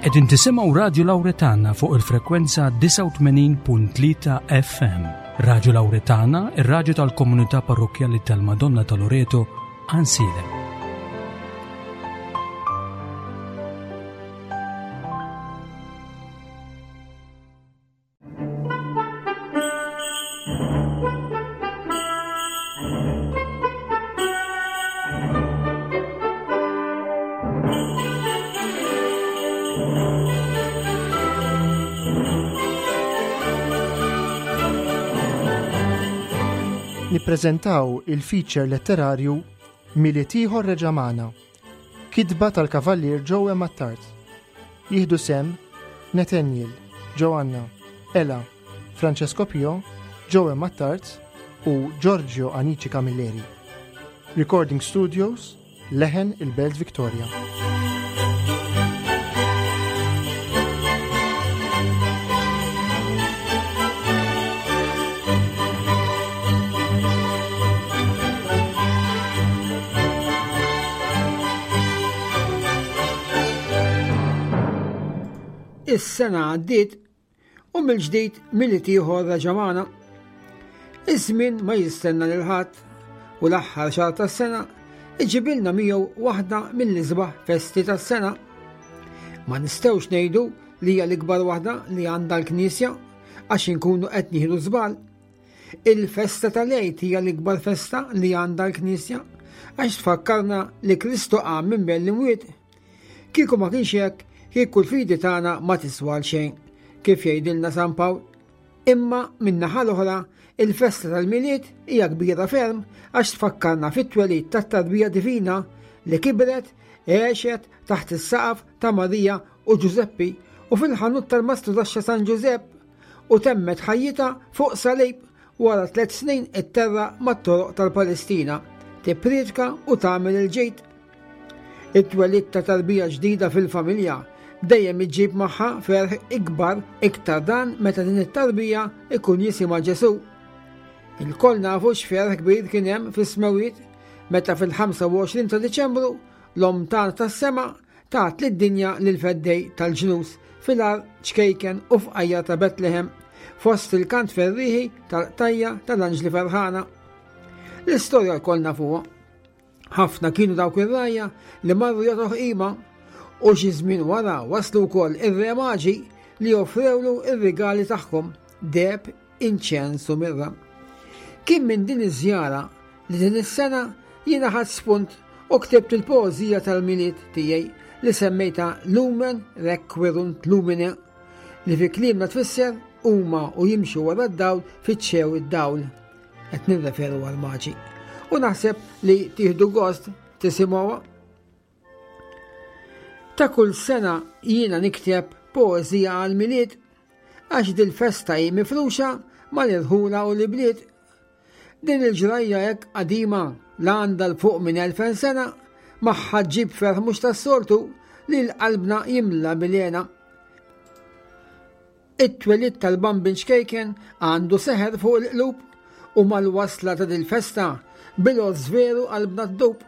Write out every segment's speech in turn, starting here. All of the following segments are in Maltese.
Qegħdin tisimgħu Radju Lawretana fuq il-frekwenza 89.3 FM. Radju Lawretana, ir-radju tal-komunità parrokkjali tal-Madonna ta' Loreto, Ansiedem. Nippreżentaw il-feature letterarju Milied ieħor reġa' magħna. Kitba tal-Kavallier Joe Attard. Jieħdu sehem Nathaniel, Joanna, Ela, Francesco Pio, Joe Attard u Giorgio Anici Camilleri. Recording Studios, Leħen il-Belt Victoria. Is-sena għaddiet u mill-ġdid Milied ieħor reġa' magħna. Iż-żmien ma jistenna lil ħadd u l-aħħar xahar tas-sena iġibilna miegħu waħda mill-isbaħ festi tas-sena. Ma nistgħux ngħidu li hija l-ikbar waħda li għandha l-Knisja għax inkunu qed nieħdu żball. Il-festa tal-Għid hija l-ikbar festa li għandha l-Knisja għax tfakkarna li Kristu qam minn bejn l-imwiet. Kieku ma kienx hekk, kieku l-fidi tagħna ma tiswa għal xejn, kif jgħidilna San Pawl. Imma min-naħa l-oħra, il-festa tal-Milied hija kbira ferm għax tfakkarna fit-twelid tat-tarbija divina li kibret, għexet taħt is-saqaf ta' Marija u Ġużeppi u fil-ħanut tal-Mastru Taxxa San Ġużepp u temmet ħajjitha fuq salib wara tlet snin itterra mat-toroq tal-Palestina, tipprietka u tagħmel il-ġid. It-twelid ta' tarbija ġdida fil-familja dejjem iġġib magħha ferħ ikbar iktar dan meta din it-tarbija ikun jisimha Ġesù. Ilkoll nafu x'ferħ kbir kien hemm fis-smewwiet meta fil-25 ta' Diċembru l-Omm tagħna tas-sema Tat lid-dinja lill-Feddej tal-ġnus fil-għar ċkejken u fqajjar ta' Betlehem, fost il-kant ferrieħi tal-qtajja tal-anġli ferħana. L-istorja lkoll nafuha. Ħafna kienu dawk ir-rgħajja li marru jagħtuh qima u xi żmien wara waslu wkoll ir-re maġi li offrewlu r-rigali tagħhom, deheb, inċens u mirra. Kien minn din iż-żjara li din is-sena jiena ħadt spunt u ktibt il-poeżija tal-Milied tiegħi li semmejtha Lumen Requirunt Lumine li fi kliemna tfisser huma u jimxu wara d-dawl fittxew id-dawl. Qed nirreferu għall-maġi. U naħseb li tieħdu gost tisimgħuha. Ta' kull sena jiena nikteb poeżija għall-Milied għax dil-festa hi mifruxa mal-irħula u l-ibliet. Din il-ġrajja hekk qadima la għandha 'l fuq minn 2000 sena magħha ġġib ferħ mhux tas-soltu li l-qalbna jimla bil-hena. It-twelid tal-Bambin ċkejken għandu seħer fuq il-qlub u mal-wasla ta' dil-festa bil-għożż veru qalbna ddub.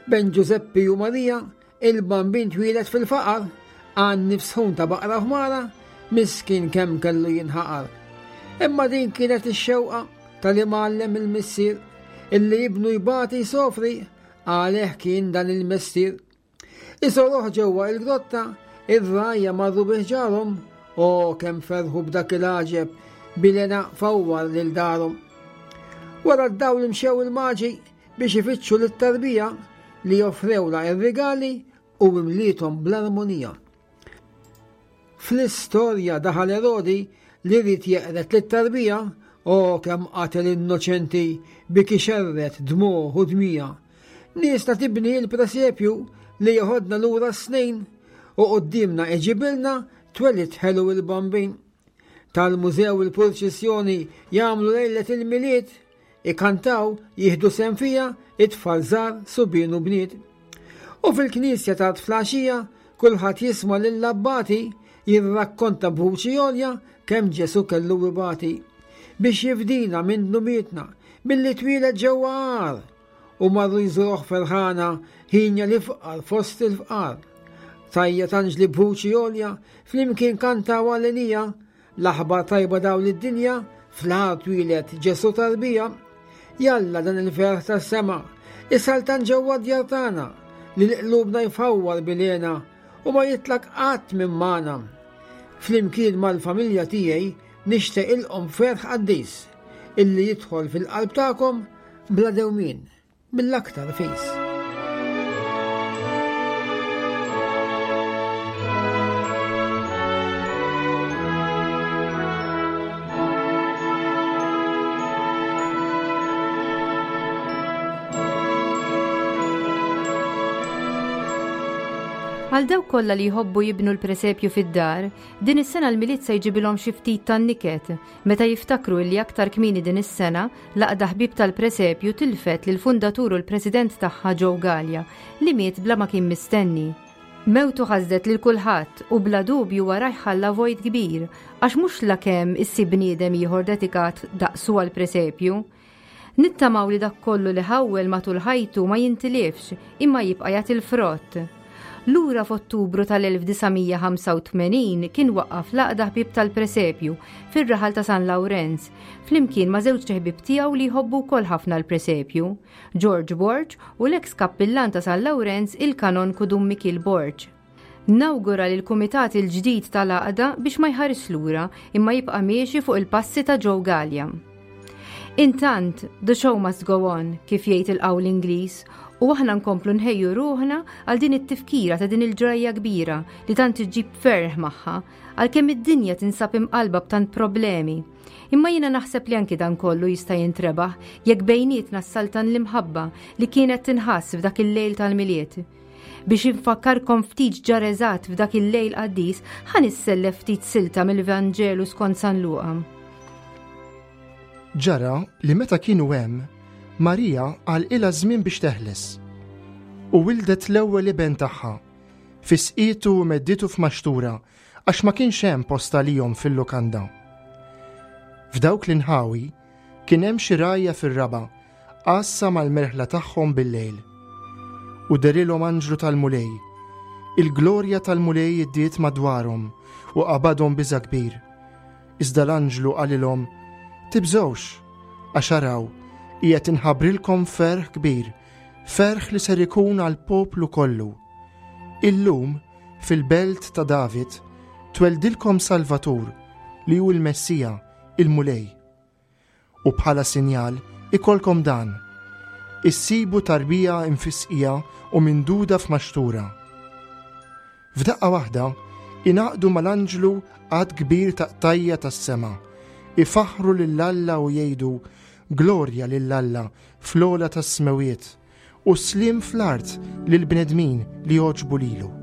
Bejn Ġużeppi u Marija, il-Bambin twieled fil-faqar, għan-nifs sħun ta' baqra ħmara, miskin kemm kellu jinħaqar. Imma din kienet ix-xewqa tal-imgħallem il-missier, illi ibnu jbati jsofri, għalih kien dan il-mestier. Iżoruh ġewwa il-grotta, ir-rgħajja marru bi ħġarhom, o kemm ferħu b'dak il-għaġeb bil-hena fawwar lil darhom. Wara d-dawl imxew il-maġi biex ifittxu lit-tarbija li offrewlha r-rigali u imliethom bl-armonija. Fl-istorja daħal Erodi li ried jeqred lit-tarbija, o kemm qatel innoċenti biki xerred dmugħ u dmija. Niesna tibni l-presepju li jeħodna lura s-snin u quddiemna iġibilna twelid ħelu il-Bambin. Tal-mużew il-purċissjoni jagħmlu lejlet il-Milied Ikantaw, jieħdu sehem fiha it-tfal żgħar, subien u bniet. U fil-knisja tard fl-għaxija kulħadd jisma' lill-abbati jirrakkonta b'vuċi għolja kemm Ġesù kellu ibati biex jifdina minn dnubietna billi twieled ġewwa għar u marru jżuruh ferħana ħinja l-ifqar fost il-fqar. Tajja tanġli b'vuċi għolja, flimkien kantaw għalenija, l-aħbar tajba daw lid-dinja, fl-ħar twieled Ġesù tarbija. Jalla dan il-ferħ tas-sema, isaltan ġewwa d-djar tagħna, li l-qlubna jfawwar bilena u ma jitlaq qatt minn magħna. Flimkien mal-familja tiegħi nixtieqilkom ferħ qaddis illi jidħol fil-qalb tagħkom bla dewmien mill-aktar fis. Għal dawk kollha li jħobbu jibnu l-presepju fid-dar, din is-sena l-Milied se jġibilhom xi ftit tan-niket meta jiftakru illi aktar kmieni din is-sena l-Għaqda Ħbieb tal-Presepju tilfet lill-fundatur u l-President tagħha Joe Galea li miet bla ma kien mistenni. Mewtu ħasdet lil kulħadd u bla dubju warajh ħalla vojt kbir għax mhux lakemm issib bniedem ieħor dedikat daqsu għall-presepju. Nittamaw li dak kollu li ħawwel matul ħajtu ma jintilifx imma jibqa' jagħti l-frott. Lura f'Ottubru tal-1985 kien waqqaf l-Għaqda Ħbieb tal-Presepju fir-raħal ta' San Lawrenz flimkien ma' żewġt iħbieb tiegħu li jħobbu wkoll ħafna l-presepju, George Borg u l-eks kappillan ta' San Lawrenz il-Kanonku Dun Mikiel Borg. Nawgura lill-kumitat il-ġdid tal-Għaqda biex ma jħarisx lura imma jibqa' miexi fuq il-passi ta' Joe Galea. Intant, the show must go on, kif jgħid il-qawl Ingliż, u aħna nkomplu nħejju ruħna għal din it-tifkira ta' din il-ġrajja kbira li tant iġġib ferħ magħha, għalkemm id-dinja tinsab imqallba b'tant problemi. Imma jiena naħseb li anki dan kollu jista' jintrebaħ jekk bejnietna ssaltan l-imħabba li kienet tinħass f'dak il-lejl tal-Milied. Biex infakkarkom ftit x'ġara eżatt f'dak il-lejl qaddis, ħa nissellef ftit silta mill-Vanġelu skont San Luqa. Ġara li meta kienu hemm, Marija għalqilha żmien biex teħles. U wildet l-ewwel iben tagħha, fisqietu u medditu f'maxtura għax ma kienx hemm post għalihom fil-lukanda. F'dawk l-inħawi kien hemm xi rgħajja fir-raba' għassa mal-merħla tagħhom bil-lejl. U derilhom anġlu tal-Mulej. Il-glorja tal-Mulej iddiet madwarhom u qabadhom biża' kbir. Iżda l-anġlu qalilhom, Tibżgħux, għax araw, qiegħed inħabbrilkom ferħ kbir, ferħ li ser ikun għall-poplu kollu. Illum, fil-belt ta' David, tweldilkom Salvatur, li hu l-Messija, il-Mulej. U bħala sinjal ikollkom dan, issibu tarbija imfisqija u minduda f'maxtura. F'daqqa waħda, ingħaqdu mal-anġlu għadd kbir ta' qtajja tas-sema, ifaħħru lil Alla u jgħidu, Glorja lil Alla fl-ogħla tas-smewwiet, u sliem fl-art lill-bnedmin li jogħġbu lilu.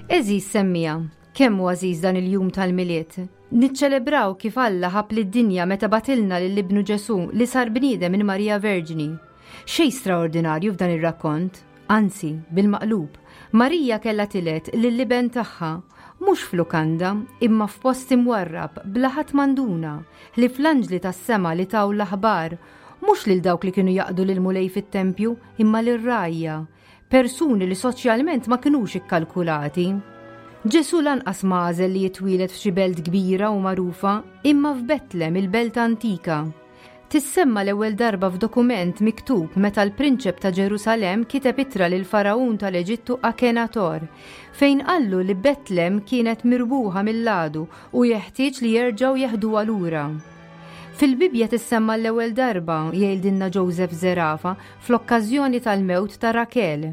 Għeżież semmiegħa, kemm hu għażiż dan il-jum tal-Milied! Niċċelebraw kif Alla ħabb lid-dinja meta bagħtilna lil Ibnu Ġesù li sar bniedem minn Marija Verġni. Xejn straordinarju f'dan ir-rakkont, anzi, bil-maqlub, Marija kellha tiled lill-iben tagħha, mhux f'lukanda, imma f'post imwarrab bla ħadd ma nduna, ħlief l-anġli tas-sema li taw l-aħbar, mhux lil dawk li kienu jaqdu lill-Mulej fit-tempju, imma lir-rgħajja, persuni li soċjalment ma kinux ikkalkulati. Ġesù lanqas ma għażel li jitwieled f'xi belt kbira u magħrufa, imma f'Betlem, il-belt antika. Tissemma l-ewwel darba f'dokument miktub meta l-prinċep ta' Ġerusalemm kiteb ittra lill-Faragħun tal-Eġittu Akenator, fejn qallu li Betlem kienet mirbuħa mill-għadu u jeħtieġ li jerġgħu jeħduha lura. Fil-Bibbja tissemma l-ewwel darba, jgħidilna Joseph Zerafa, fl-okkażjoni tal-mewt ta' Rakel.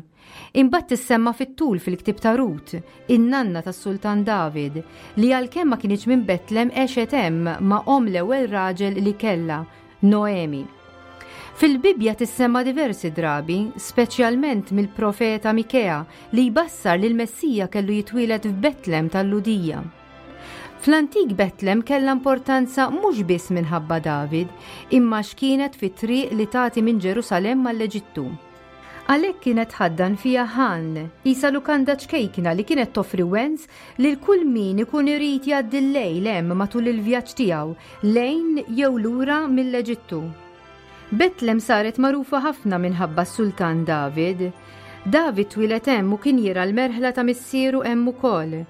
Imbagħad tissemma fit-tul fil-ktieb ta' Rut, in-nanna tas-Sultan David, li għalkemm ma kinitx minn Betlem għexet hemm ma' omm l-ewwel raġel li kellha, Noemi. Fil-Bibbja tissemma diversi drabi, speċjalment mill-profeta Mikea li jbassar li l-Messija kellu jitwieled f'Betlem tal-Lhudija. Fl-antik Betlem kellha importanza mhux biss minħabba David, imma għax kienet fit-triq li tagħti minn Ġerusalemm għall-Eġittu. Għalhekk kienet tħaddan fiha ħan, qisha lukanda ċkejkna li kienet toffri wens lil kull min ikun irid jgħaddi l-lejl hemm matul il-vjaġġ tiegħu lejn jew lura mill-Eġittu. Betlem saret magħrufa ħafna minħabba s-Sultan David. David twieled hemm u kien jirgħa l-merħla ta' missieru hemm ukoll.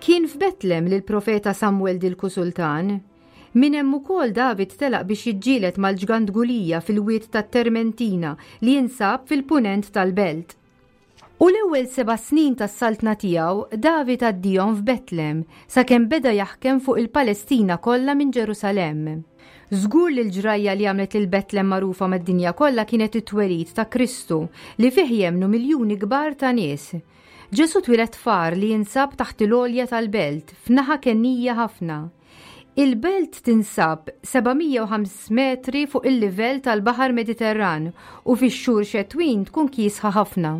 Kien f'Betlem li l-profeta Samwel dilku sultan. Minn hemm ukoll David telaq biex jiġġieled mal-ġgant Gulija fil-wied tat-Termentina li jinsab fil-punent tal-belt. U l-ewwel seba' snin tas-saltna tiegħu David għaddihom f'Betlem sakemm beda jaħkem fuq il-Palestina kollha minn Ġerusalemm. Żgur li l-ġrajja li għamlet lil Betlem magħrufa mad-dinja kollha kienet it-twelid ta' Kristu li fih jemmnu miljuni kbar ta' nies. Ġesù twieled f'għar li jinsab taħt il-għolja tal-belt, f'naħa kennija ħafna. Il-belt tinsab 705 metri fuq il-livell tal-Baħar Mediterran u fix-xhur xetwin tkun kiesħa ħafna.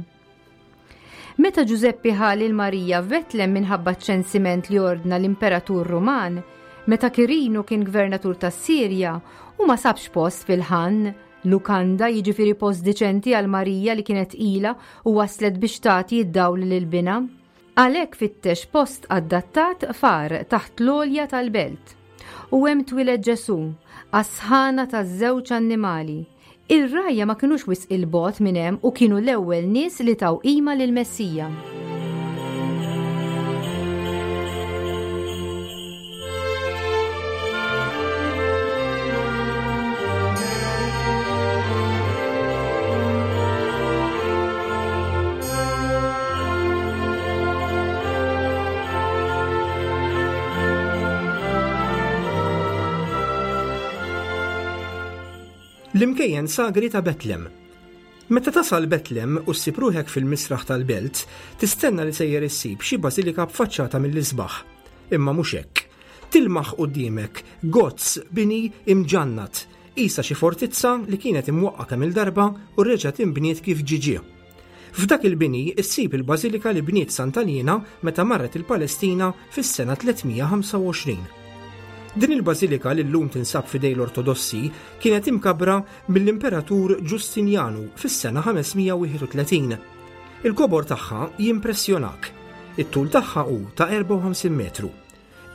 Meta Ġużeppi ħa lil Marija f'Betlem minħabba ċ-ċensiment li ordna l-Imperatur Ruman, meta Kirinu kien gvernatur tas-Sirja, hu ma sabx post fil-ħann, Lukanda, jiġifieri post diċenti għal Marija li kienet tqila u waslet biex tagħti d-dawl lil binha. Għalhekk fittex post adattat f'għar taħt l-għolja tal-belt. U hemm twieled Ġesù, għas-sħana taż-żewġ annimali. Ir-rgħajja ma kinux wisq 'il bogħod minn hemm u kienu l-ewwel nies li taw qima lill-Messija. L-imkejjen sagri ta' Betlem. Meta tasal Betlem u ssib ruħek fil-misraħ tal-belt, tistenna li sejjer issib xi bażilika b'faċċata mill-isbaħ. Imma mhux hekk. Tilmaħ quddiemek gozz bini imġannat, qisha xi fortizza li kienet imwaqqa' kemm-il darba u reġgħet inbniet kif ġie ġie. F'dak il-bini ssib il-bażilika li bniet Santa Liena meta marret il-Palestina fis-sena 325. Din il-bażilika li llum tinsab f'idej l-Ortodossi kienet imkabbra mill-Imperatur Ġustinjanu fis-sena 531. Il-kobor tagħha jimpressjonak. It-tul tagħha hu ta' 54 metru.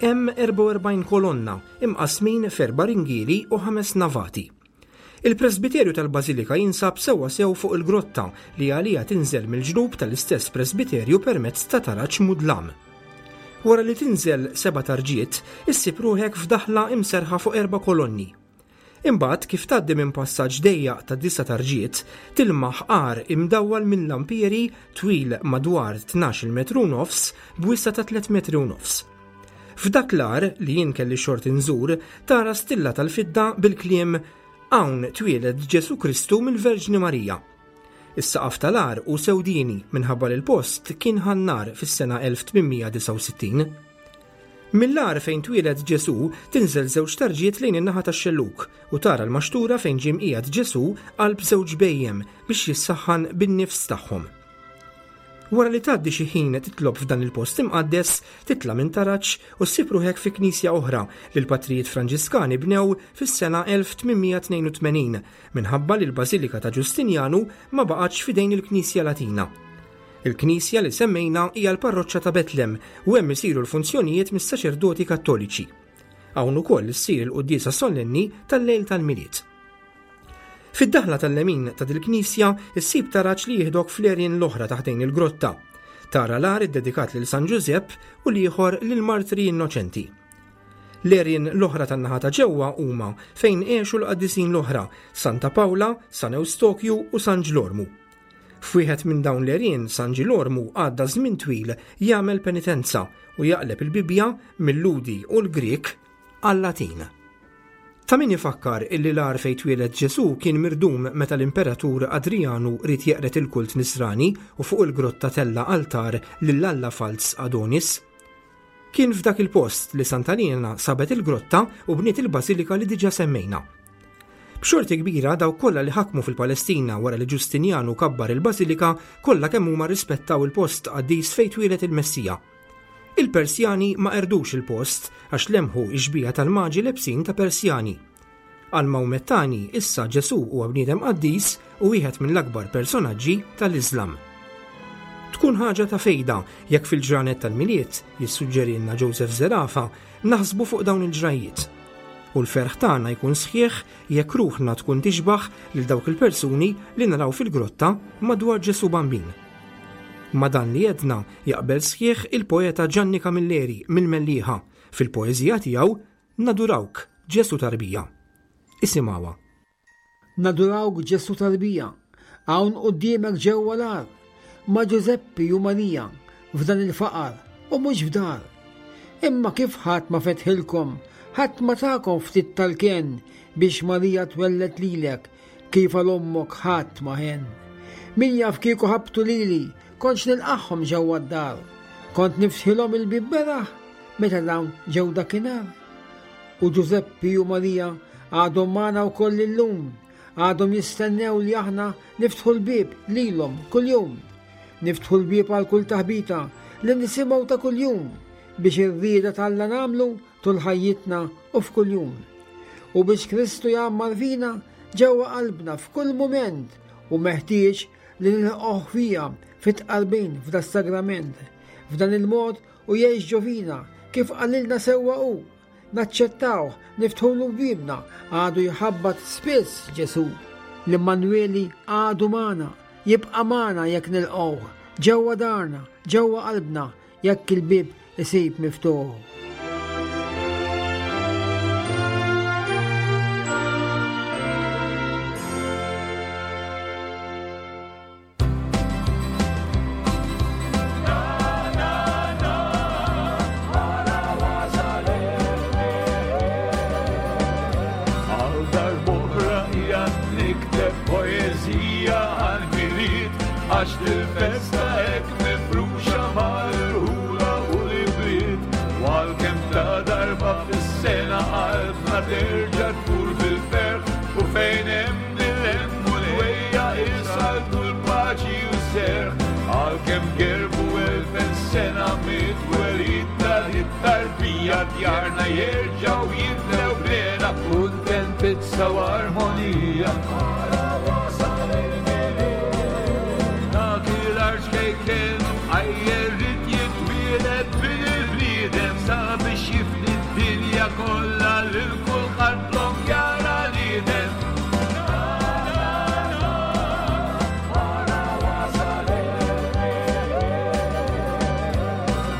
Hemm 44 kolonna imqassmin f'erba' ringieli u ħames navati. Il-presbiterju tal-bażilika jinsab sewwa sew fuq il-grotta li għaliha tinżel mill-ġnub tal-istess presbiterju permezz ta' taraġ mudlam. Wara li tinżel seba' tarġiet, issib ruħek f'daħla imserrħa fuq erba' kolonni. Imbagħad, kif tgħaddi minn passaġġ dejjaq ta' disa' tarġiet, tilmaħ għar imdawwal minn lampieri twil madwar tnax-il metru u nofs b'wisa' ta' tliet metri u nofs. F'dak l-għar, li jien kelli x-xorti nżur, tara stilla tal-fidda bil-kliem Hawn twieled Ġesù Kristu mill-Verġni Marija. Is-saqaf tal-għar hu sewdieni minħabba li l-post kien ħa n-nar fis-sena 1869. Mill-għar fejn twieled Ġesù tinżel żewġ tarġiet lejn in-naħa tax-xellug u tara l-maxtura fejn ġie mqiegħed Ġesù qalb żewġ bhejjem biex jissaħħan bin-nifs tagħhom. Wara li tgħaddi xi ħin titlob f'dan il-post imqaddes, titla' minn taraġ u ssib ruħek fi knisja oħra li l-patrijiet Franġiskani bnew fis-sena 1882 minħabba li l-Bażilika ta' Ġustinjanu ma baqgħetx f'idejn il-Knisja Latina. Il-knisja li semmejna hija l-parroċċa ta' Betlem u hemm isiru l-funzjonijiet mis-saċerdoti Kattoliċi. Hawn ukoll issir il-quddiesa sollenni tal-lejl tal-Milied. Fid-daħla tal-lemin ta' dil-knisja issib taraġ li jieħdok fl-għerien l-oħra ta' ħdejn il-grotta. Tara l-għar iddedikat lil San Ġużepp u l-ieħor lil martri innoċenti. L-għerien l-oħra tan-naħa ta' ġewwa huma fejn għexu l-qaddisin l-oħra, Santa Pawla, San Ewstokju u San Ġlormu. F'wieħed minn dawn l-għerien San Ġilormu għadda żmien twil jagħmel penitenza u jaqleb il-Bibbja mil-Lhudi u l-Grieg għal-Latin. Ta' min ifakkar illi l-għar fejn twieled Ġesù kien mirdum meta l-Imperatur Adrijanu ried jeqred il-kult Nisrani u fuq il-grotta tella' altar lil alla falz Adonis. Kien f'dak il-post li Santa Liena sabet il-grotta u bniet il-bażilika li diġà semmejna. B'xorti kbira dawk kollha li ħakmu fil-Palestina wara li Ġustinjanu kabbar il-bażilika kollha kemm huma rrispettaw il-post qaddis fejn twieled il-Messija. Il-Persjani ma qerdux il-post għax lemħu x-xbieha tal-maġi lebsin ta' Persjani. Għall-Mawmettani issa Ġesù huwa bniedem qaddis u wieħed mill-akbar personaġġi tal-Iżlam. Tkun ħaġa ta' fejda jekk fil-ġranet tal-Milied, jissuġġerilna Joseph Zerafa, naħsbu fuq dawn il-ġrajjiet. U l-ferħ tagħna jkun sħiħ jekk ruħna tkun tixbah lil dawk il-persuni li naraw fil-grotta madwar Ġesù Bambin. Ma' dan li għedna jaqbel sħiħ il-poeta Ġanni Camilleri mill-Mellieħa fil-poeżija tiegħu Nadurawk, Ġesù Tarbija. Isimgħuha. Nadurawk Ġesù Tarbija, hawn quddiemek ġewwa l-għar, ma' Ġużeppi u Marija, f'dan il-faqar u mhux f'dar. Imma kif ħadd ma fetħilkom, ħadd ma takom ftit tal-kenn biex Marija twelled lilek, Kif għal ommok ħadd ma ħenn. Min jaf kieku ħabtu lili, kontx nilqagħhom ġewwa d-dar. Kont niftħilhom il-bieb beraħ meta dawn ġew dakinhar. U Ġużeppi u Marija għadhom magħna wkoll illum, għadhom jistennew li aħna niftħu l-bieb lilhom kuljum. Niftħu l-bieb għal kull taħbita li nisimgħu ta' kuljum biex ir-rieda t'Alla nagħmlu tul ħajjitna u f'kull jum. U biex Kristu jgħammar fina ġewwa qalbna f'kull mument u meħtieġ li nilqgħuh fija fit-tqarbin f'das-sagrament. F'dan il-mod u jgħix ġo fina kif qalilna sewwa hu. Naċċettawh, niftħulu bibna, għadu jħabbat spiss Ġesù. L-Immanweli għadu magħna, jibqa' magħna jekk nilqgħuh ġewwa darna, ġewwa qalbna, Jekk il-bieb isib miftuħ. Għax dil-festa hekk Mifruxa mal-irħula u l-ibliet, u għalkemm ta' darba fis-sena qalbna terġa' tfur bil-ferħ, u fejn hemm il-hemm u l-ħwejja isaltu l-paċi u s-serħ, għalkemm gerbu elfen sena mit-twelid ta' dit-tarbija djarna jerġgħu jimlew b'hena, kuntentizza u armonija. Ara wasal il-Milied. Dak il-arġ kejken għajjer rid jitwieled bin il-bniedem sabiex jifni d-dinja kollha lil kulħadd lok jara l-idem.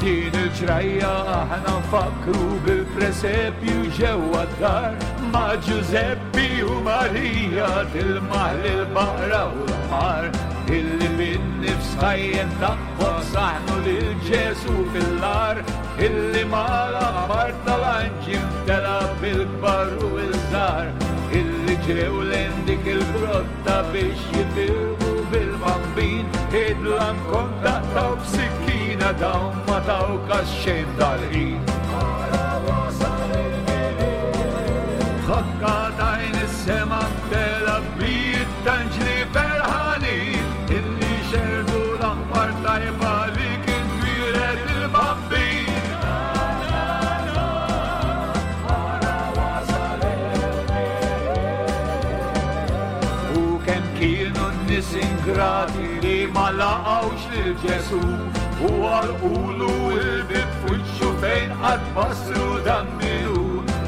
Din il-ġrajja aħna nfakkru bil-presepju ġewwa d-dar ma' Ġużeppi u Marija tilmaħ lill-baqra u l-ħmar illi bin-nifs ħajjen tagħhom saħnu lil Ġesù fil-għar illi mal-aħbar tal-anġi mtela bil-kbar u l-żgħar illi ġew lejn dik il-grotta biex jifirħu bil-bambin id-dlam kont taqtgħu b'sikkina dawn ma taw kas xejn dal-ħin. Ara wasal il-Milied. Ħakka t'għajn is-sema mtela b'mijiet t'anġli ferħanin illi xerrdu l-aħbar tajba. ingrati li ma laqgħux lil Ġesù u għalqulu l-bieb f'wiċċu fejn qatt basru dan min hu.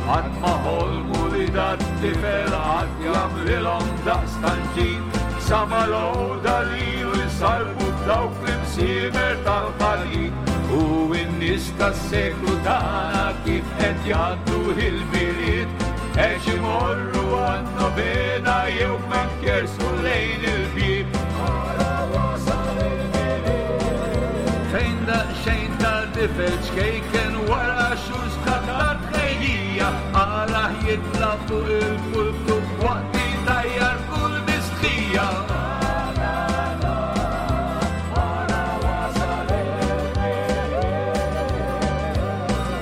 Qatt ma ħolmu li dat-tifel qatt jagħmlilhom daqstant ġid sa ma l-għoda lilu jsallbu f'dawk l-imsiemer tal-ħadid. U n-nies tas-seklu tagħna kif qed jgħaddu il-Milied għex imorru għan-novena jew f'mank jersqu lejn il-bieb. Ara wasal il-Milied. Fejn daqsxejn ta' tifel ċkejken wara xhur sħab ta' tħejjija għalah jitla' fuq il-pulptu waqt li jtajjar kull mistħija.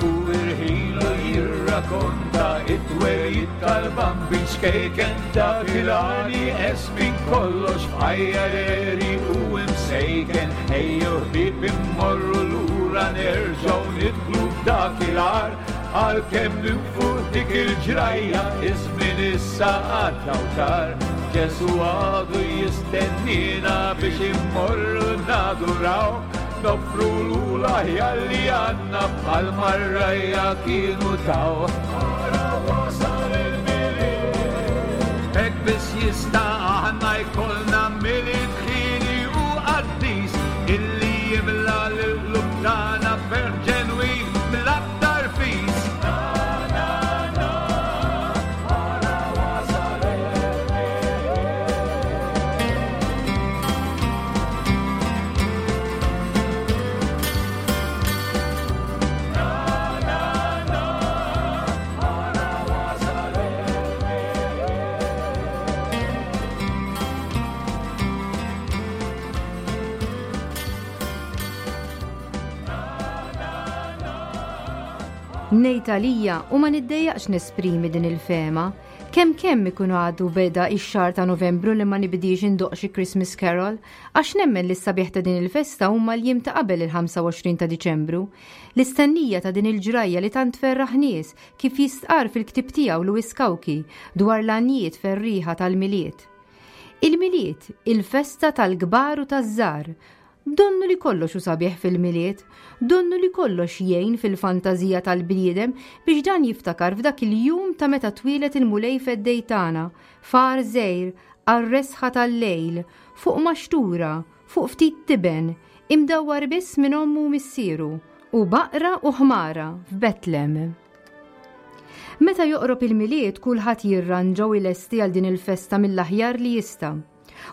U irħilu jirrakonta it-twelid tal-bambin xkejken dak il-għani minn kollox f'ħajja reri u imsejken ejjew ħbieb immorru lura nerġgħu nidħlu f'dak il-għar għalkemm minn fuq dik il-ġrajja iż-żmien issa għadda u tar. Ġesu għadu jistenniena biex immorru naduraw noffru l-aħjar li għandna bħal marrajja kienu taw. Ara wasal il-Milied. Hekk biss jista' aħna jkollna Milied ħieni u qaddis illi jimla l-qlub tagħna b'ferħ ġenwin mill-aktar fis. Na, na, na, ara wasal il-Milied. Ngħid għalija u ma niddejjaqx nesprimi din il-fehma, kemm kemm ikun għadu beda x-xahar ta' Novembru li ma nibdiex indoqq xi Christmas carol, għax nemmen li s-sabiħ ta' din il-festa huma l-jiem ta' qabel il-25 ta' Diċembru. L-istennija ta' din il-ġrajja li tant tferraħ nies, kif jistqarr fil-ktieb tiegħu Louis Cauchi dwar l-għanjiet ferrieħa tal-Milied. Il-Milied, il-festa tal-kbar u taż-żgħar. Donnu li kollox hu sabiħ fil-Milied, donnu li kollox jgħin fil-fantażija tal-bniedem biex dan jiftakar f'dak il-jum ta' meta twieled il-Mulej Feddej tagħna, f'għar żgħir, għar-resħa tal-lejl, fuq maxtura, fuq ftit tiben, imdawwar biss minn ommu u missieru, u baqra u ħmara f'Betlem. Meta joqrob il-Milied kulħadd jirranġa u jlesti għal din il-festa mill-aħjar li jista'.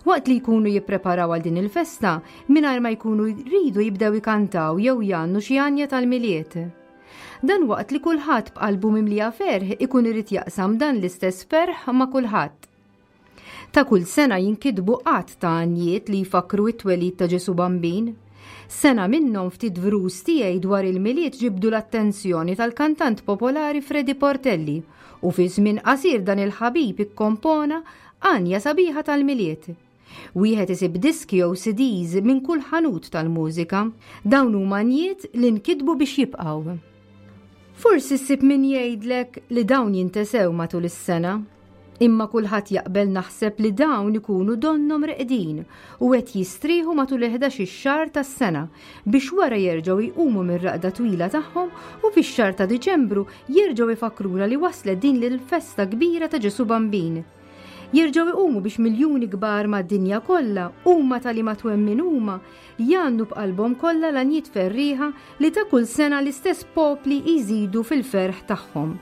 Waqt li jkunu jippreparaw għal din il-festa, mingħajr ma jkunu jridu jibdew ikantaw jew jgħannu xi għanja tal-Milied. Dan waqt li kulħadd b'qalbu mimlija ferħ ikun irid jaqsam dan l-istess ferħ ma' kulħadd. Ta' kull sena jinkitbu għadd ta' għanjiet li jfakkru t-twelid ta' Ġesù Bambin. Sena minnhom ftit vrus tiegħi dwar il-Milied ġibdu l-attenzjoni tal-kantant popolari Freddie Portelli u fi żmien qasir dan il-ħabib ikkompona għanja sabiħa tal-Milied. Wieħed isib diski jew CDs minn kull ħanut tal-mużika. Dawn huma għanjiet li nkitbu biex jibqgħu. Forsi ssib min jgħidlek li dawn jintesew matul is-sena. Imma kulħadd jaqbel naħseb li dawn ikunu donnhom reqdin u qed jistrieħu matul il-ħdax-il xahar tas-sena biex wara jerġgħu jqumu mir-raqda twila tagħhom u fix-xahar ta' Diċembru jerġgħu jfakkruna li waslet din l-festa kbira ta' Ġesù Bambin. Jerġgħu jqumu biex miljuni kbar mad-dinja kollha, huma ta' liema twemmin huma, jgħannu b'qalbhom kollha l-għanjiet ferrieħa li ta' kull sena l-istess popli jżidu fil-ferħ tagħhom.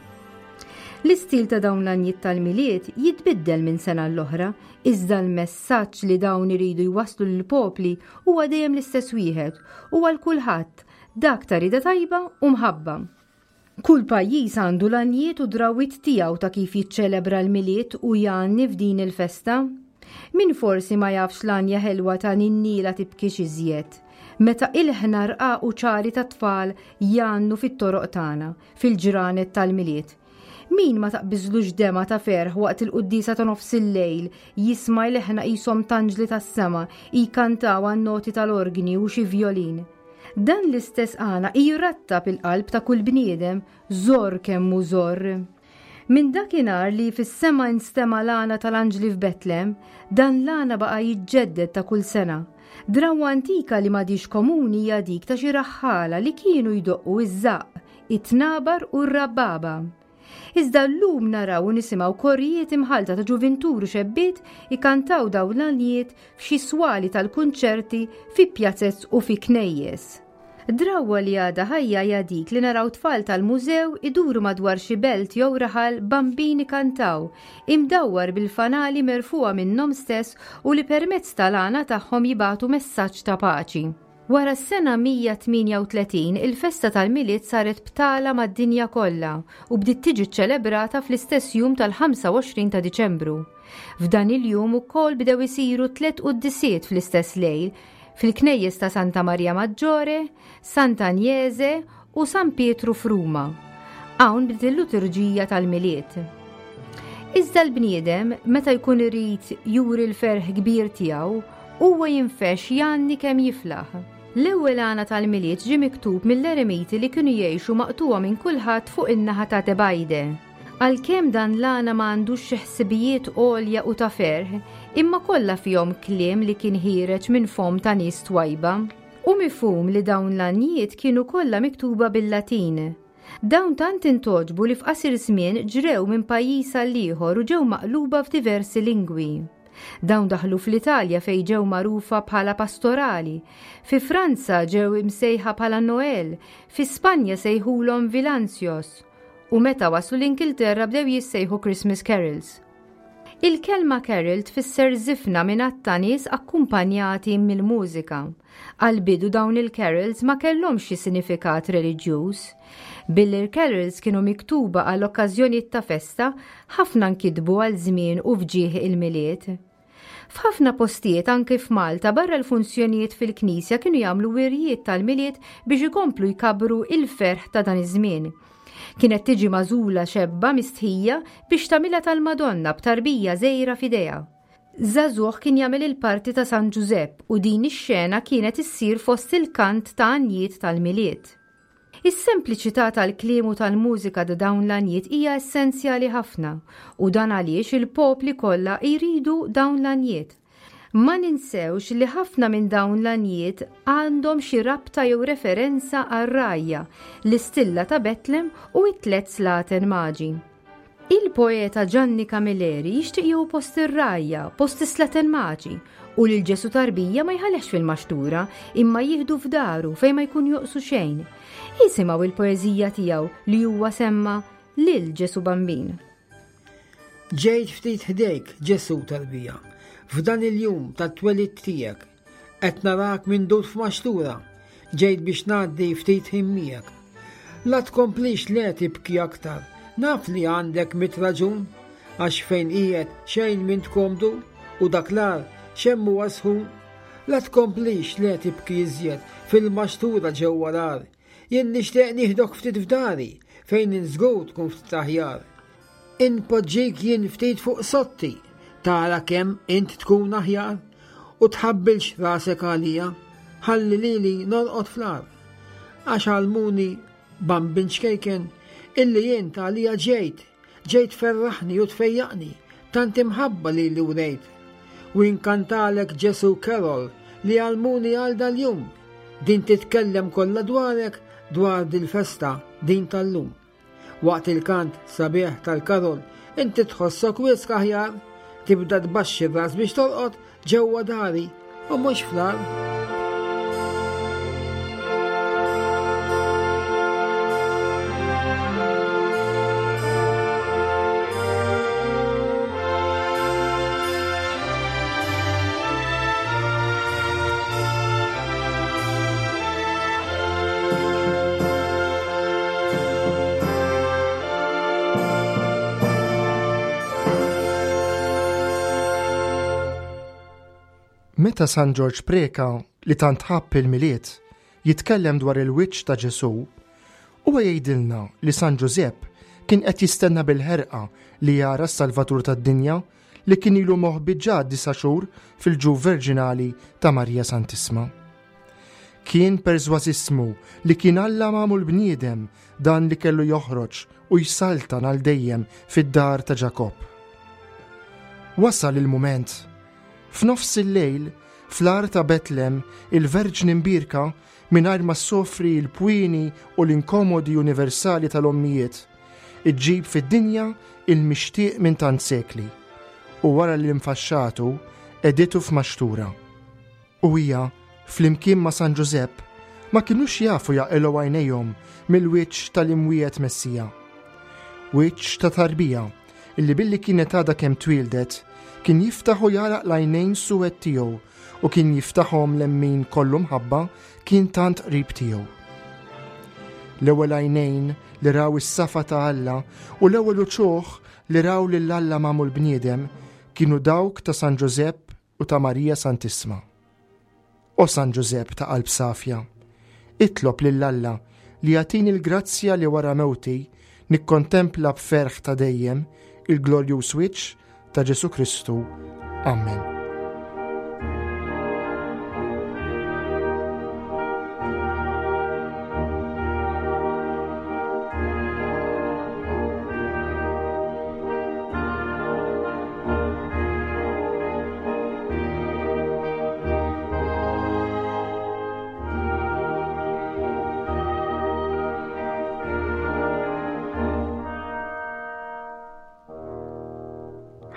L-istil ta' dawn l-għanjiet tal-Milied jitbiddel minn sena l-oħra, iżda l-messaġġ li dawn iridu jwasslu lill-popli huwa dejjem l-istess wieħed u għal kulħadd, dak ta' rieda tajba u mħabba. Kull pajjiż għandu l-għanjiet u drawwiet tiegħu ta' kif jiċċelebra l-Milied u jgħanni f'din il-festa. Min forsi ma jafx l-għanja ħelwa ta' Ninni la tibkix iżjed, meta ilħna rqaq u ċari tat-tfal jgħannu fit-toroq tagħna, fil-ġranet tal-Milied. Min ma taqbiżlux demgħa ta' ferħ waqt il-quddiesa ta' nofs il-lejl jisma' l-eħna qishom t'anġli tas-sema jkantaw għan-noti tal-orgni u xi vjolin. Dan l-istess għana jrattab il-qalb ta' kull bniedem, żorr kemm hu żorr. Minn dakinhar li fis-sema instema' l-għana tal-anġli f'Betlem, dan l-għana baqa' jiġġedded ta' kull sena. Drawwa antika li m'għadhiex komuni hija dik ta' xi raħħala li kienu jdoqqu iż-żaqq, it-tnabar u r-rabbaba. Iżda llum naraw u nisimgħu korijiet imħallta ta' ġuvintur u xebbiet ikantaw dawn l-għanjiet f'xi swali tal-kunċerti fi pjazez u fi knejjes. Drawwa li għadha ħajja hija dik li naraw tfal tal-mużew iduru madwar xi belt jew raħal bambin ikantaw, imdawwar bil-fanali merfugħa minnhom stess u li permezz tal-għana tagħhom jibagħtu messaġġ ta' paċi. Wara s-sena 138 il-festa tal-Milied saret btala mad-dinja kollha u bdiet tiġi ċċelebrata fl-istess jum tal-25 ta' Diċembru. F'dan il-jum ukoll bdew isiru tlett quddisiet fl-istess lejl fil-knejjes ta' Santa Maria Maggiore, Santa Agnese u San Pietru f'Ruma. Hawn bdiet il-liturġija tal-Milied. Iżda l-bniedem, meta jkun irid juri l-ferħ kbir tiegħu, huwa jinfex jgħanni kemm jiflaħ. L-ewwel għana tal-Milied ġie miktub mill-eremiti li kienu jgħixu maqtugħa minn kulħadd fuq in-naħa ta' Tebajde. Għalkemm dan l-għana ma għandux xi ħsibijiet għolja u ta' ferħ, imma kollha fihom kliem li kien ħiereġ minn fomm ta' nies twajba. Hu mifhum li dawn l-għanjiet kienu kollha miktuba bil-Latin. Dawn tant intgħoġbu li f'qasir żmien ġrew minn pajjiż għal ieħor u ġew maqluba f'diversi lingwi. Dawn daħlu fl-Italja fejn ġew magħrufa bħala pastorali, fi Franza ġew imsejħa bħala Noël, fi Spanja sejħulhom vilancios, u meta waslu l-Ingilterra bdew jissejħu Christmas carols. Il-kelma carol tfisser żifna minn għadd ta' nies akkumpanjati mill-mużika. Għall-bidu dawn il-carols ma kellhomx xi sinifikat reliġjuż. Billi l-carols kienu miktuba għal okkażjonijiet ta' festa, ħafna nkitbu għal żmien u f'ġieħ il-Milied. F'ħafna postijiet anki f'Malta barra l-funzjonijiet fil-knisja kienu jagħmlu wirjiet tal-Milied biex ikomplu jkabbru il-ferħ ta' dan iż-żmien. Kienet tiġi magħżula xebba mistħija biex tagħmilha tal-Madonna b'tarbija żgħira f'idejha. Żagħżugħ kien jagħmel il-parti ta' San Ġużepp u din ix-xena kienet issir fost il-kant ta' għanjiet tal-Milied. Is-sempliċità tal-kliem u tal-mużika ta' dawn l-għanjiet hija essenzjali ħafna u dan għaliex il-popli kollha jridu dawn l-għanjiet. Ma ninsewx li ħafna minn dawn l-għanjiet għandhom xi rabta jew referenza għar-rgħajja, l-istilla ta' Betlem u t-tlett slaten maġi. Il-poeta Gianni Camilleri jixtieq jieħu post ir-rgħajja, post is-slaten maġi, u lil Ġesù tarbija ma jħallihx fil-maxtura, imma jieħdu f'daru fejn ma jkun joqsu xejn. Isimgħu il-poeżija tiegħu li huwa semma lil Ġesù Bambin. Ġejt ftit ħdejk, Ġesù tarbija, f'dan il-jum tat-twelid tiegħek. Qed narak mindud f'maxtura, ġejt biex ngħaddi ftit ħin miegħek. La tkomplix le tibki aktar, naf li għandek mit raġun, għax fejn qiegħed xejn m'int komdu u dak l-għar xemm huwa sħun. La tkomplix le tibki iżjed fil-maxtura ġewwa l-għar. Jien nixtieq nieħdok ftit f'dari fejn żgur tkun ftit aħjar. Inpoġġik jien ftit fuq sotti, tara kemm int tkun aħjar, u tħabbilx rasek għalija, ħalli lili norqod fl-għar. Għax għallmuni bambin ċkejken illi int għalija ġejt, ġejt tferraħni u tfejjaqni, tant imħabba lili wrejt. U inkantalek Ġesu Carol li għallmuni għal dal-jum, din titkellem kollha dwarek dwar dil-festa din tal-lum. Waqt il-kant sabiħ tal-karol, inti tħossok wisq aħjar, tibda tbaxxi r-ras biex torqod ġewwa dari u mhux fl-għar. Meta San Ġorġ Preca, li tant ħabb il-Milied, jitkellem dwar il-wiċċ ta' Ġesù, huwa jgħidilna li San Ġużepp kien qed jistenna bil-ħerqa li jara s-Salvatur tad-dinja li kien ilu moħbi ġa disa' xhur fil-ġuf verġinali ta' Marija Santissma. Kien persważissmu li kien Alla magħmul bniedem dan li kellu joħroġ. u jsaltan għal dejjem fid-dar ta' Ġakobb. Wasal il-mument. F'nofs il-lejl, fl-għar ta' Betlem, il-Verġni Mbierka, mingħajr ma ssofri l-pwieni u l-inkomodi universali tal-ommijiet, iġġib fid-dinja il-mixtieq minn tant sekli, u wara li nfaxxatu, qegħditu f'maxtura. U hija, flimkien ma' San Ġużepp, ma kinux jafu jaqilgħu għajnejhom mill-wiċċ tal-imwiegħed Messija. Wiċċ ta' tarbija illi billi kienet għadha kemm twieldet, kien jiftaħ u jagħlaq l-għajnejn suwed tiegħu u kien jiftaħhom lemmin kollu mħabba kien tant qrib tiegħu. L-ewwel għajnejn li raw is-safa ta' Alla u l-ewwel uċuħ li raw lil Alla magħmul bniedem kienu dawk ta' San Ġużepp u ta' Marija Santissma. O San Ġużepp ta' qalb safja, itlob lil Alla li jagħtini l-grazzja li wara mewti nikkontempla b'ferħ ta' dejjem il-glorjuż wiċċ ta' Ġesù Kristu. Amen.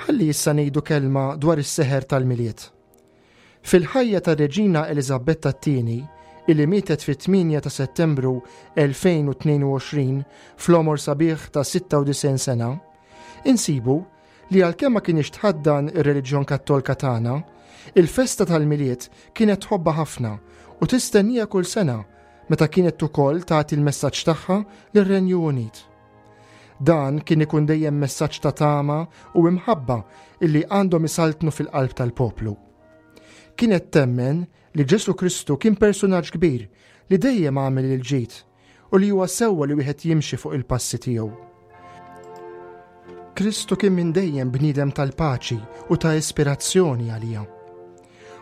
Ħalli issa ngħidu kelma dwar is-seħer tal-Milied. Fil-ħajja tar-Reġina Eliżabetta t-Tieni, illi mietet fit-8 ta' Settembru 2022 fl-għomor sabiħ ta' 96 sena, insibu li għalkemm ma kinitx tħaddan ir-reliġjon Kattolka tagħna, il-festa tal-Milied kienet tħobbha ħafna u tistenniha kull sena meta kienet ukoll tagħti l-messaġġ tagħha lir-Renju Unit. Dan kien ikun dejjem messaġġ ta' tama u imħabba illi għandhom isaltnu fil-qalb tal-poplu. Kienet temmen li Ġesù Kristu kien persunaġġ kbir li dejjem għamel il-ġid u li huwa sewwa li wieħed jimxi fuq il-passi tiegħu. Kristu kien minn dejjem bniedem tal-paċi u ta' ispirazzjoni għalija.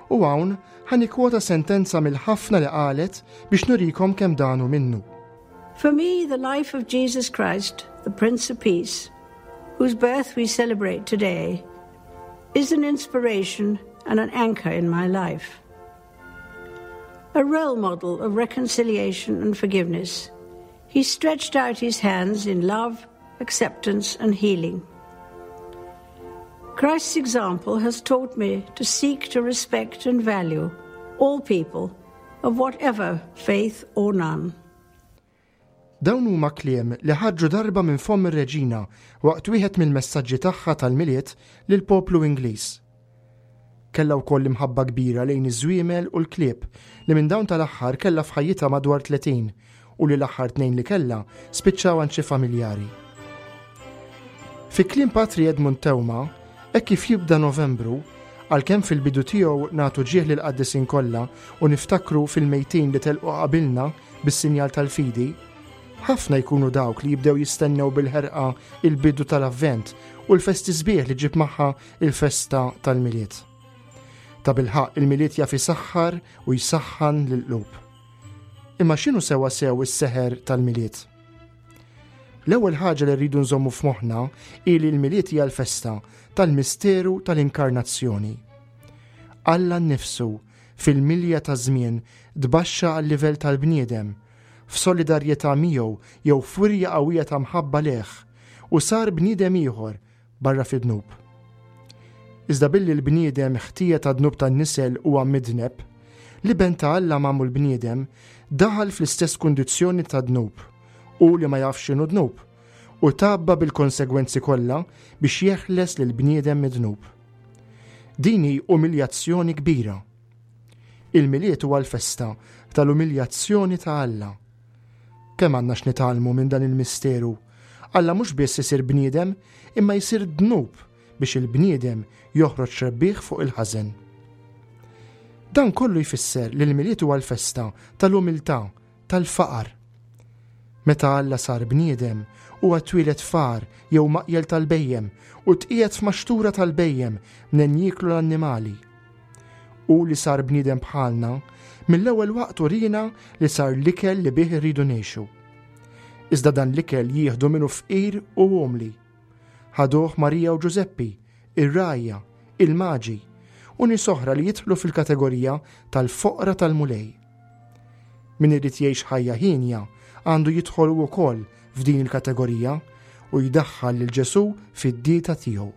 U hawn ħa nikkwota sentenza mill-ħafna li qalet biex nurikom kemm dan hu minnu. For me, the life of Jesus Christ, the Prince of Peace, whose birth we celebrate today, is an inspiration and an anchor in my life. A role model of reconciliation and forgiveness, he stretched out his hands in love, acceptance, and healing. Christ's example has taught me to seek to respect and value all people of whatever faith or none. Dawn huma kliem li ħarġu darba minn fomm ir-Reġina waqt wieħed mill-messaġġi tagħha tal-Milied lill-poplu Ingliż. Kellha wkoll imħabba kbira lejn iż-żwiemel u l-klieb li minn dawn tal-aħħar kellha f'ħajjitha madwar 30 u li l-aħħar tnejn li kellha spiċċaw għand xi familjari. Fi kliem Patri Edmund Teuma, hekk kif jibda Novembru, għalkemm fil-bidu tiegħu nagħtu ġieħ lill-qaddisin kollha u niftakru fil-mejtin li telqu qabilna bis-sinjal tal-fidi, ħafna jkunu dawk li jibdew jistennew bil-ħerqa il-bidu tal-Avvent u l-festi sbieħ li ġib magħha il-festa tal-Milied. Tabilħaqq il-Milied jaf isaħħar u jsaħħan lill-qlub. Imma x'inhu sewwa sew is-seħer tal-Milied? L-ewwel ħaġa li rridu nżommu f'moħħna hi li l-Milied hija l-festa tal-misteru tal-inkarnazzjoni. Alla nnifsu fil-milja taż-żmien tbaxxa għal-livell tal-bniedem, f'solidarjetà miegħu jew f'wirja qawwija ta' mħabba lejh, u sar bniedem ieħor barra fid-dnub. Iżda billi l-bniedem ħtija tad-dnub tan-nisel huwa midneb, l-Iben ta' Alla magħmul bniedem daħal fl-istess kundizzjoni tad-dnub, hu li ma jafx x'inhu dnub, u tgħabba bil-konsegwenzi kollha biex jeħles lill-bniedem mid-dnub. Din hi umiljazzjoni kbira. Il-Milied huwa l-festa tal-umiljazzjoni ta' Alla. Kemm għandna x'nitgħallmu minn dan il-misteru! Alla mhux biss isir bniedem, imma jsir dnub biex il-bniedem joħroġ rebbieħ fuq il-ħażen. Dan kollu jfisser li l-Milied huwa l-festa tal-umiltà, tal-faqar. Meta Alla sar bniedem, huwa twieled f'għar jew maqjel tal-bhejjem u tqiegħed f'maxtura tal-bhejjem mnejn jieklu l-annimali. Hu li sar bniedem bħalna, mill-ewwel waqt uriena li sar l-ikel li bih irridu ngħixu. Iżda dan l-ikel jieħdu minnu fqir u umli. Ħaduh Marija u Ġużeppi, ir-rgħajja, il-maġi, u nies oħra li jidħlu fil-kategorija tal-foqra tal-Mulej. Min irid jgħix ħajja hienja għandu jidħol hu wkoll f'din il-kategorija u jdaħħal lil Ġesù fid-dieta tiegħu.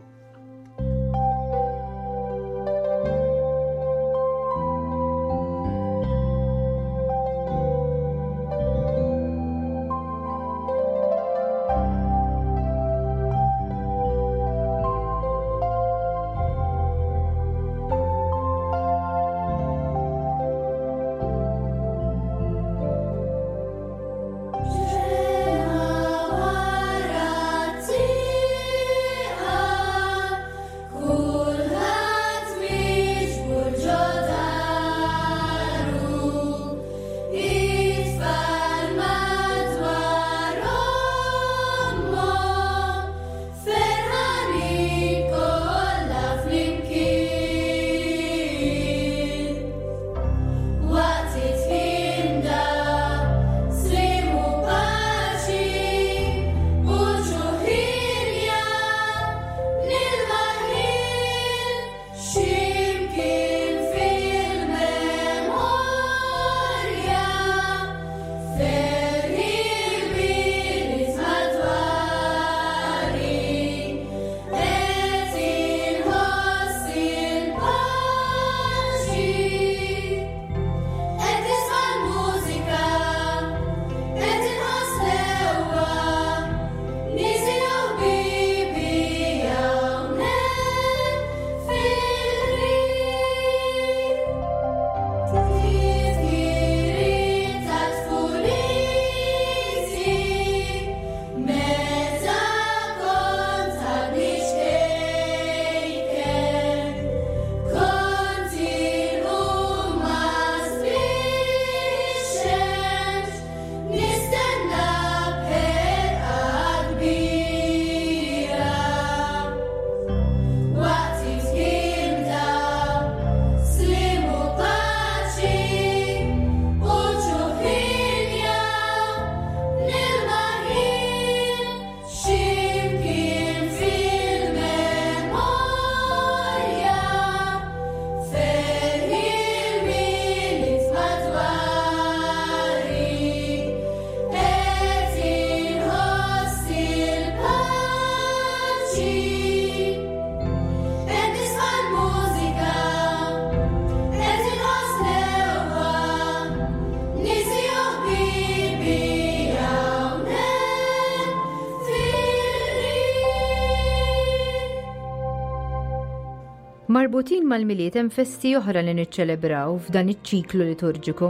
Marbutin mal-Milied hemm festi oħra li niċċelebraw f'dan iċ-ċiklu liturġiku.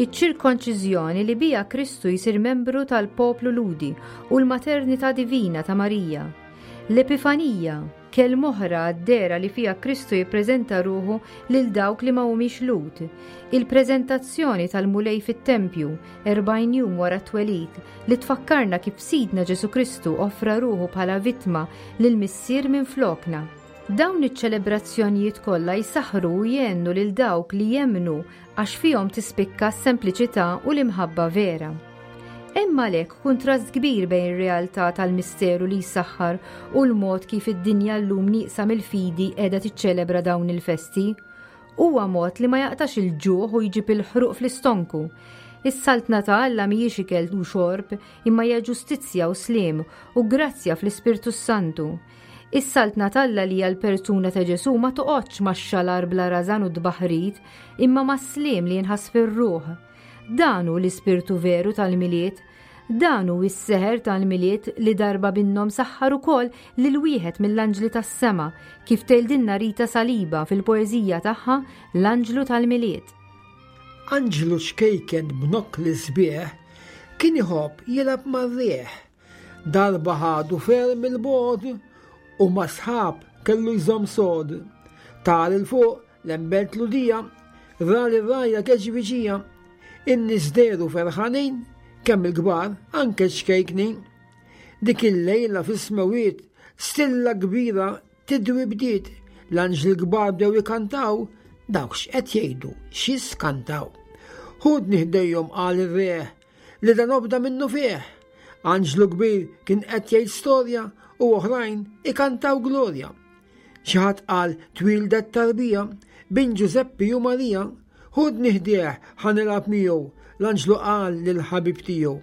Iċ-ċirkonċiżjoni li biha Kristu jsir membru tal-poplu Lhudi u l-maternità divina ta' Marija. L-Epifanija, Kelma oħra għad-dehra li fiha Kristu jippreżenta ruħu lil dawk li ma humiex Lhud. Il-preżentazzjoni tal-Mulej fit-tempju, 40 jum wara t-twelid, li tfakkarna kif Sidna Ġesù Kristu offra ruħu bħala vittma lill-Missier minflokna. Dawn iċ-ċelebrazzjonijiet kollha jsaħħru u jgħennu lil dawk li jemmnu għax fihom tispikka s-sempliċità u l-imħabba vera. Hemm għalhekk kuntrast kbir bejn ir-realtà tal-misteru li jsaħħar u l-mod kif id-dinja llum nieqsa mill-fidi qiegħda tiċċelebra dawn il-festi. Huwa mod li ma jaqtax il-ġuħ u jġib il-ħruq fl-istonku. Is-Saltna ta' Alla mhijiex ikel u xorb, imma hija ġustizzja u sliem u grazzja fl-Ispirtu s-Santu. Is-Saltna t'Alla li hija l-persuna ta' Ġesù ma toqgħodx max-xalar bla rażan u t-tbaħrid, imma mas-sliem li jinħass fir-ruħ. Dan hu l-ispirtu veru tal-Milied. Dan hu s-seħer tal-Milied li darba minnhom saħħar ukoll lil wieħed mill-anġli tas-sema, kif tgħidilna Rita Saliba fil-poeżija tagħha L-Anġlu tal-Milied. Anġlu ċkejken b'nokkli sbieħ kien iħobb jilgħab mar-riħ. Darba ħadu ferm 'il bogħod u ma' sħab kellu jżomm sod. Tar 'il fuq Lembelt Lhudija, ra lir-rgħajja geġviġija. In-nies dehru ferħanin, kemm il-kbar, anke ċ-ċkejknin. Dik il-lejla fis-smewwiet, stilla kbira tidwi bdiet, l-anġli kbar bdew ikantaw, dawk x'qed jgħidu, x'jiskantaw. Ħudni ħdejhom qal ir-re, li dan obda minnufih. Anġlu kbir kien qed jgħid storja u oħrajn ikantaw glorja. Xi ħadd qal twieldet tarbija bin Ġużeppi u Marija, ħudni ħdejh ħa nilgħab miegħu, l-anġlu qal lill-ħabib tiegħu.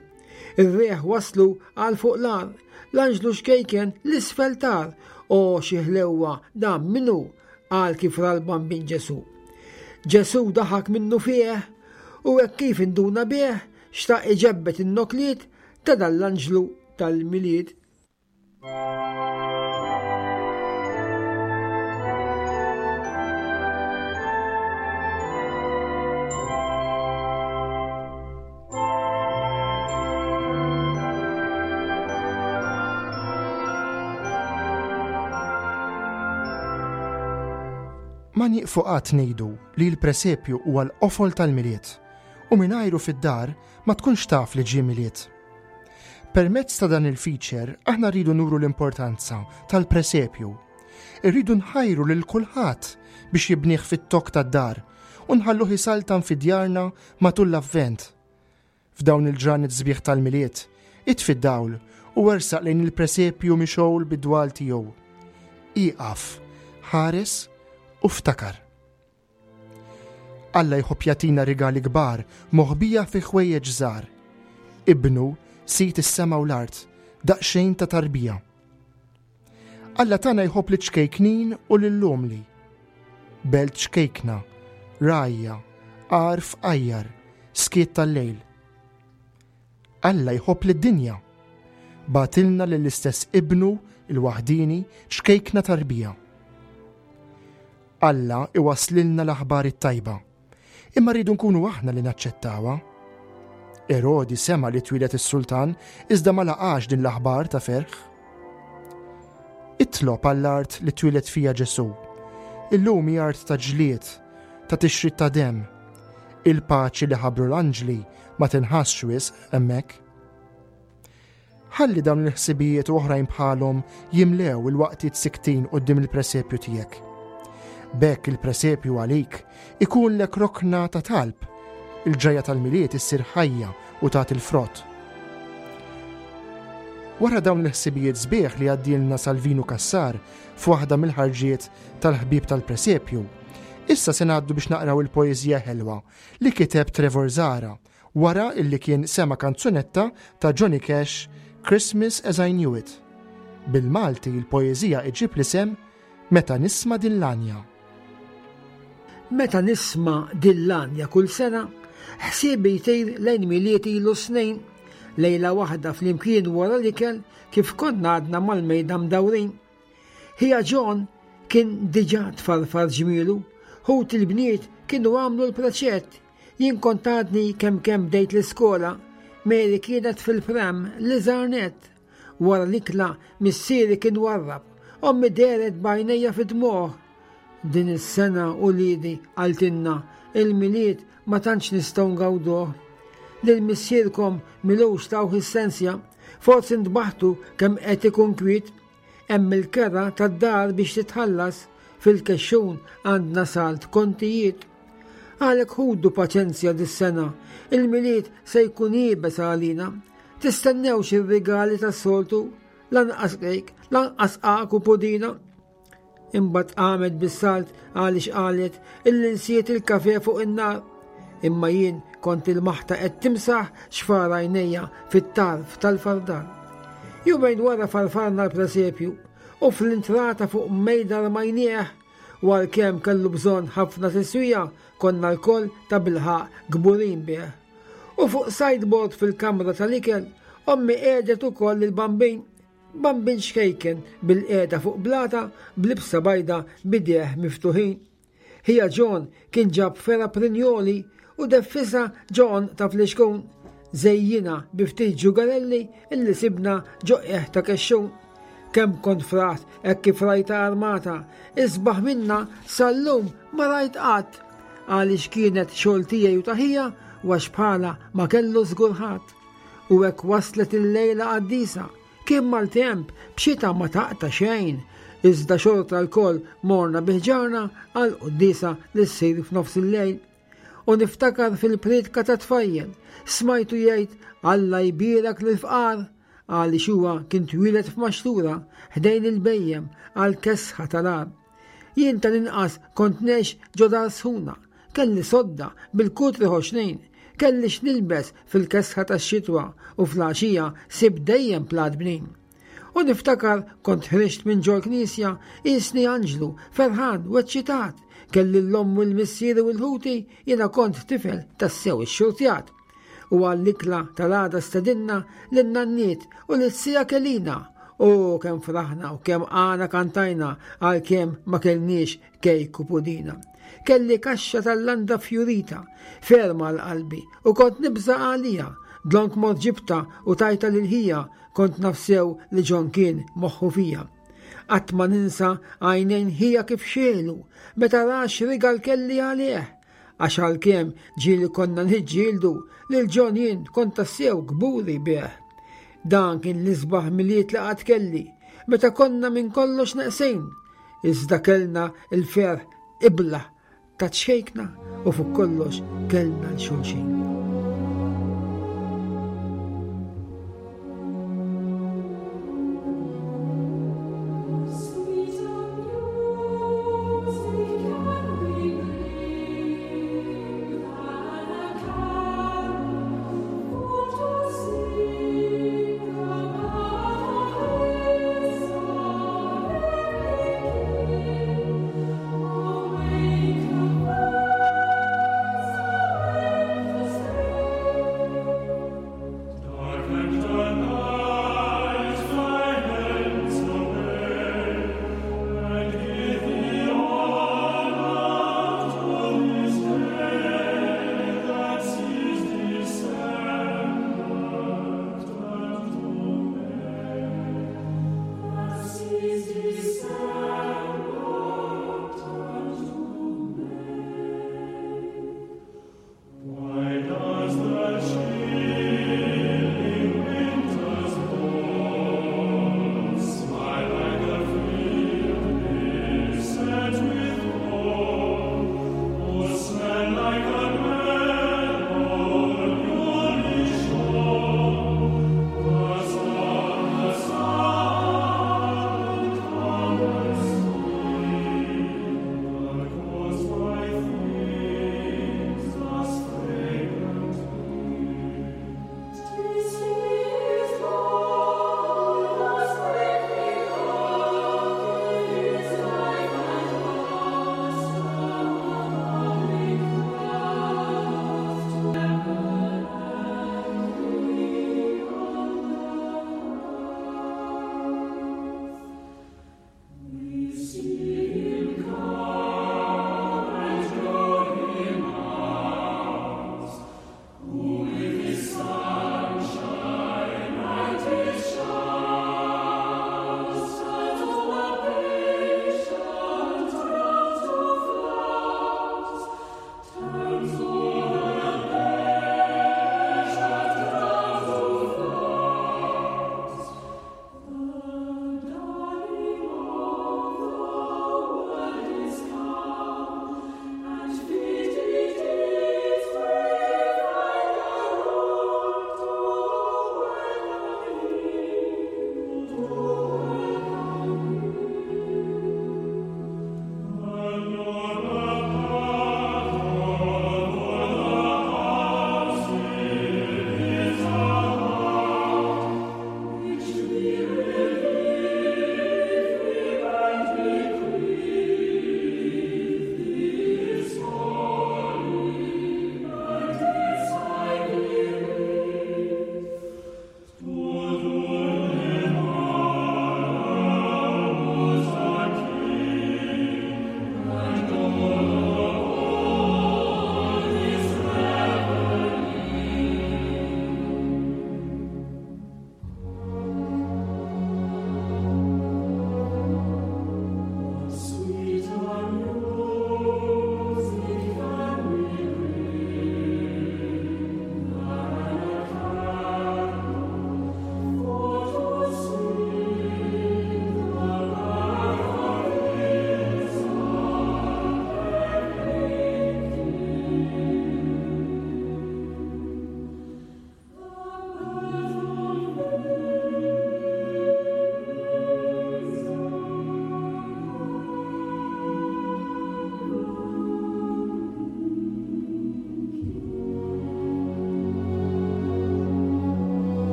Ir-riħ waslu għal fuq l-għar, l-anġlu xkejken l-isfel tar, o xi ħlewwa dan minnu qal kif ra l-bambin Ġesu. Ġesu daħak minnu fih u hekk kif induna bih xtaq iġebbet in-nokliet ta' dan l-anġlu tal-Milied. Ma nieqfu qatt ngħidu li l-presepju huwa l-qofol tal-Milied u mingħajru fid-dar ma tkunx taf li ġie Milied. Permezz ta' dan il-feature aħna rridu nuru l-importanza tal-presepju. Irridu nħajru lil kulħadd biex jibnih fit-tokk tad-dar u nħalluh isaltan fi djarna matul l-Avvent. F'dawn il-ġranet sbieħ tal-Milied, itfi d-dawl u ersaq lejn il-presepju mixgħul bid-dwal tiegħu. Ieqaf, ħares u ftakar. Alla jħobb jagħtina rigali kbar moħbija fi ħwejjeġ żgħar. Ibnu, sid is-sema u l-art, daqsxejn ta' tarbija. Alla tagħna jħobb liċ-ċkejknin u lill-umli. Belt ċkejkna, rgħajja, għar fqajjar, skiet tal-lejl. Alla jħobb lid-dinja. Bagħtilna lill-istess Ibnu l-waħdieni ċkejkna tarbija. Alla iwasslilna l-aħbar it-tajba. Imma rridu nkunu aħna li naċċettawha. Erodi sema li twieled is-sultan iżda ma laqax din l-aħbar ta' ferħ. Itlob għall-art li twieled fija Ġesù. Illum hi art ta' ġlied, ta' tixrid ta' demm. Il-paċi li ħabbru l-anġli ma tinħassx wisq hemmhekk. Ħalli dawn il-ħsibijiet u oħrajn bħalhom jimlew il-waqtiet siktin quddiem il-presepju tiegħek. B'hekk il-presepju għalik ikunlek rokna ta' talb, il-ġrajja tal-Milied issir ħajja u tagħti l-frott. Wara dawn il-ħsibijiet sbieħ li għaddielna Salvinu Cassar f'waħda mill-ħarġiet tal-ħbieb tal-presepju, issa se ngħaddu biex naqraw il-poeżija ħelwa li kiteb Trevor Zahra Wara illi kien sema' kanzunetta ta' Johnny Cash Christmas as I Knew It. Bil-Malti l-poeżija iġġib l-isem Meta nisma' din l-għanja. Meta nisma' din l-għanja kull sena, ħsiebi jtir lejn Milied ilu snin, lejla waħda flimkien wara l-ikel kif konna għadna mal-mejda mdawrin. Ħija John kien diġà tfarfar ġmielu, ħuti l-bniet kienu għamlu l-preċett Jien kont għadni kemm kemm bdejt l-iskola, Mary kienet fil-pram l-iżgħar nett. Wara l-ikla missieri kien warrab, ommi dehret b'għajnejja fid-dmugħ. Din is-sena uliedi, qaltilna, il-Milied ma tantx nistgħu ngawduh. Lil missierkom m'ilux tawh is-sensja, forsi ntbaħtu kemm qed ikun kwiet. Hemm il-kera tad-dar biex titħallas, fil-kexxun għandna salt kontijiet. Għalhekk ħudu paċenzja dis-sena, il-Milied se jkun iebes għalina. Tistennewx ir-rigali tas-soltu, lanqas kejk, lanqas qaq u pudina. Imbagħad qamet bis-salt għaliex qalet illi nsiet il-kafe fuq in-nar. Imma jien kont il-maħta qed timsaħ xfar għajnejja fit-tarf tal-fardal. Jumejn wara farfarna l-presepju u fl-intrata fuq mejda rmajnieh u għalkemm kellu bżonn ħafna tiswija konna lkoll tabilħaqq kburin bih. U fuq sideboard fil-kamra tal-ikel ommi qiegħdet ukoll il-bambin Bambin ċkejken bilqiegħda fuq blata b'libsa bajda b'idejh miftuħin. Ħija John kien ġab fergħa prinjoli u deffisha ġo għonq ta' flixkun. Żejjinha bi ftit ġugarelli illi sibna ġo qiegħ ta' kexxun. Kemm kont fraħt hekk kif rajtha armata, isbaħ minnha sal-lum ma rajt qatt. Għaliex kienet xogħol tiegħi u ta' ħija u għax bħalha ma kellu żgur ħadd. U hekk waslet il-lejla qaddisa. Kien maltemp, b'xita ma taqta' xejn. Iżda xorta lkoll morna bi ħġarna għall-quddiesa li ssir f'nofs il-lejl. U niftakar fil-prietka tat-tfajjel. Smajtu jgħid, Alla jbierek lill-fqar. għaliex huwa kien twieled f'maxtura ħdejn il-bhejjem għall-kesħa tal-għar. Jien tal-inqas kont ngħix ġo dar sħuna, kelli sodda bil-kutri ħoxnin, kelli x'nilbes fil-kesħa tax-xitwa u fl-għaxija sibt dejjem plat bnin. U niftakar kont ħriġt minn ġol-knisja qisni anġlu, ferħan u eċċitat, kelli l-omm u l-missieri u l-ħuti, jiena kont tifel tassew ixxurtjat. U għall-ikla tal-għada stedinna lin-nanniet u lis-sija Kelina. O kemm fraħna u kemm għana kantajna għalkemm ma kellniex kejk u pudina. Kelli kaxxa tal-landa fjurita, ferma għal qalbi u kont nibża' għalija. Dlonk mort ġibta u tajta lil ħija, kont naf sew li John kien moħħu fija. Qatt ma ninsa għajnejn ħija kif xegħlu meta ra x'rigal kelli għalih. Għax għalkemm ġieli konna niġġieldu, lil John jien kont tassew kburi bih. Dan kien l-isbaħ Milied li qatt kelli, meta konna minn kollox neqsin, iżda kellna l-ferħ iblah ta' ċkejkna u fuq kollox kellna 'l xulxin.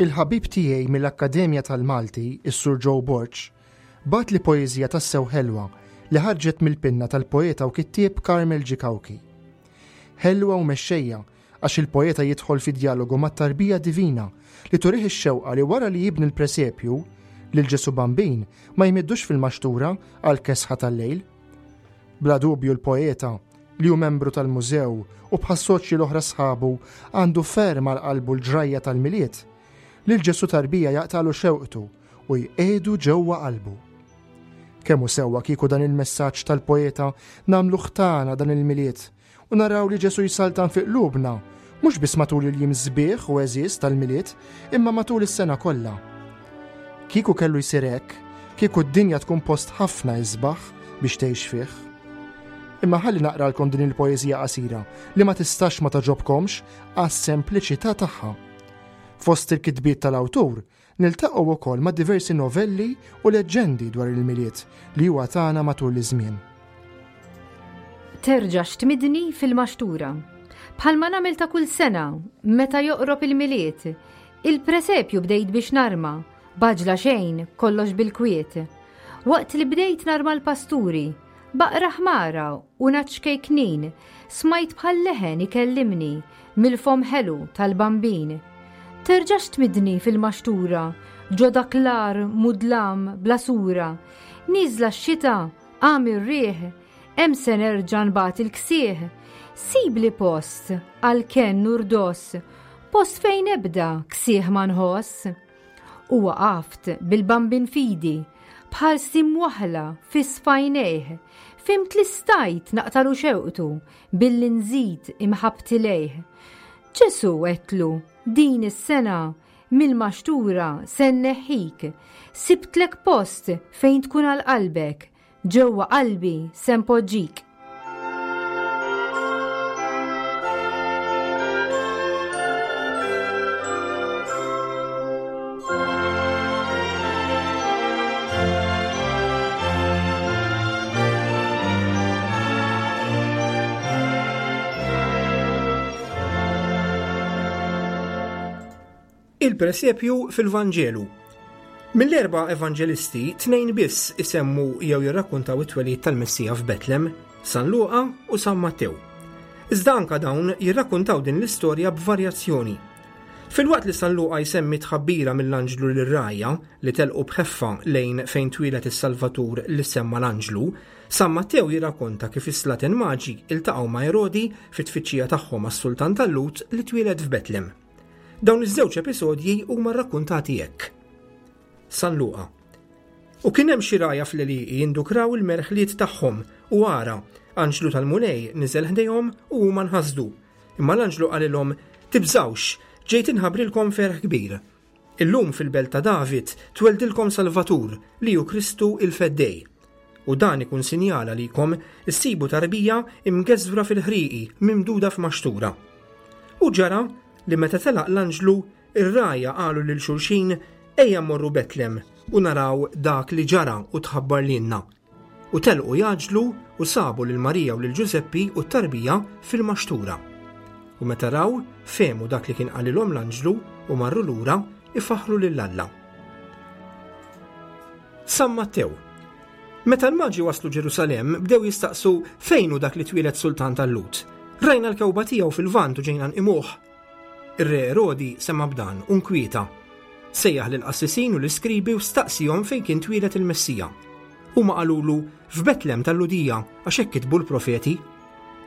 Il-ħabib tiegħi mill-Akkademja tal-Malti, is-Sur Joe Borg, bagħatli poeżija tassew ħelwa li ħarġet mill-pinna tal-poeta u kittieb Carmel G. Cauchi. Ħelwa u mexxejja għax il-poeta jidħol fi djalogu mat-tarbija divina li turih ix-xewqa li wara li jibni l-presepju, lil Ġesù Bambin ma jmiddux fil-maxtura għall-kesħa tal-lejl. Bla dubju l-poeta, li hu membru tal-mużew u bħas-soċji l-oħra sħabu għandu ferm għal qalbu l-ġrajja tal-Milied, lil Ġesù tarbija jaqtagħlu xewqtu u jqiegħdu ġewwa qalbu. Kemm hu sewwa kieku dan il-messaġġ tal-poeta nagħmluh tagħna dan il-Milied u naraw li Ġesù jsaltan fi qlubna, mhux biss matul il-jiem sbieħ u għeżież tal-Milied, imma matul is-sena kollha. Kieku kellu jsir hekk, kieku d-dinja tkun post ħafna isbaħ biex tgħix fih. Imma ħalli naqralkom din il-poeżija qasira li ma tistax ma togħġobkomx għas-sempliċità tagħha. Fost il-kitbiet tal-awtur, Niltaqgħu wkoll ma' diversi novelli u leġġendi dwar il-Milied li huwa tagħna matul iż-żmien. Terġax tmidni fil-maxtura. Bħalma nagħmel ta' kull sena, meta joqrob il-Milied, il-presepju bdejt biex narma, b'għaġla xejn, kollox bil-kwiet. Waqt li bdejt narma l-pasturi, Baqra ħmara u ngħaġ ċkejknin, smajt bħal leħen ikellimni mill-fomm ħelu tal-Bambin. Terġax tmiddni fil-maxtura, ġo dak l-għar mudlam bla sura, nieżla x-xita, qam ir-riħ, hemm se nerġa' nbati l-ksieħ. Sibli post għal kenn u rdoss, post fejn ebda ksieħ ma nħoss. U waqaft bil-Bambin f'idi, b'ħarsti mwaħħla fiss f'għajnejh, fhimt li stajt naqtalu xewqtu billi nżid imħabbti lejh. Ġesù, għedtlu, din is-sena mill-maxtura se nneħħik, sibtlek post fejn tkun għal qalbek, Ġewwa qalbi se npoġġik. Il-presepju fil-Vanġelu. Mill-erba' evanġelisti, tnejn biss isemmu jew jirrakkuntaw it-twelid tal-Messija f'Betlem, San Luqa u San Mattew. Iżda anka dawn jirrakkuntaw din l-istorja b'varjazzjoni. Filwaqt li San Luqa jsemmi tħabbira mill-anġlu lir-rgħajja li telqu b'ħeffa lejn fejn twieled is-Salvatur li semma l-anġlu, San Mattew jirrakkonta kif is-slaten maġi iltaqgħu ma' Erodi fit-tfittxija tagħhom għas-sultan tal-Lhud li twieled f'Betlem. Dawn iż-żewġ episodji huma rrakkuntati hekk. San Luqa. U kien hemm xi rgħajja fl-għelieqi jindukraw il-merħliet tagħhom, u ara, anġlu tal-Mulej niżel ħdejhom u huma nħasdu. Imma l-anġlu qalilhom, Tibżgħux, ġejt inħabbrilkom ferħ kbir. Illum fil-belt ta' David tweldilkom Salvatur, li hu Kristu il-Feddej. U dan ikun sinjal għalikom, issibu tarbija imgeżwra fil-ħrieqi, mimduda f'maxtura. U ġara li meta telaq l-anġlu, ir-rgħajja qalu lil xulxin, Ejja mmorru Betlem u naraw dak li ġara u tħabbar lilna. U telqu jgħaġġlu u sabu lil Marija u lil Ġużeppi u t-tarbija fil-maxtura. U meta raw, fehmu dak li kien qalilhom l-anġlu u marru lura ifaħħru lil Alla. San Mattew. Meta l-Maġi waslu Ġerusalemm, bdew jistaqsu fejn hu dak li twieled sultan tal-Lhud. Rajna l-kewba tiegħu fil-Lvant u ġejna nqimuh. Ir-re Erodi sema' b'dan u nkwieta. Sejjaħ lill-qassisin u l-iskribi u staqsihom fejn kien twieled il-Messija. Huma qalulu, F'Betlem tal-Lhudija, għax hekk kitbu l-profeti.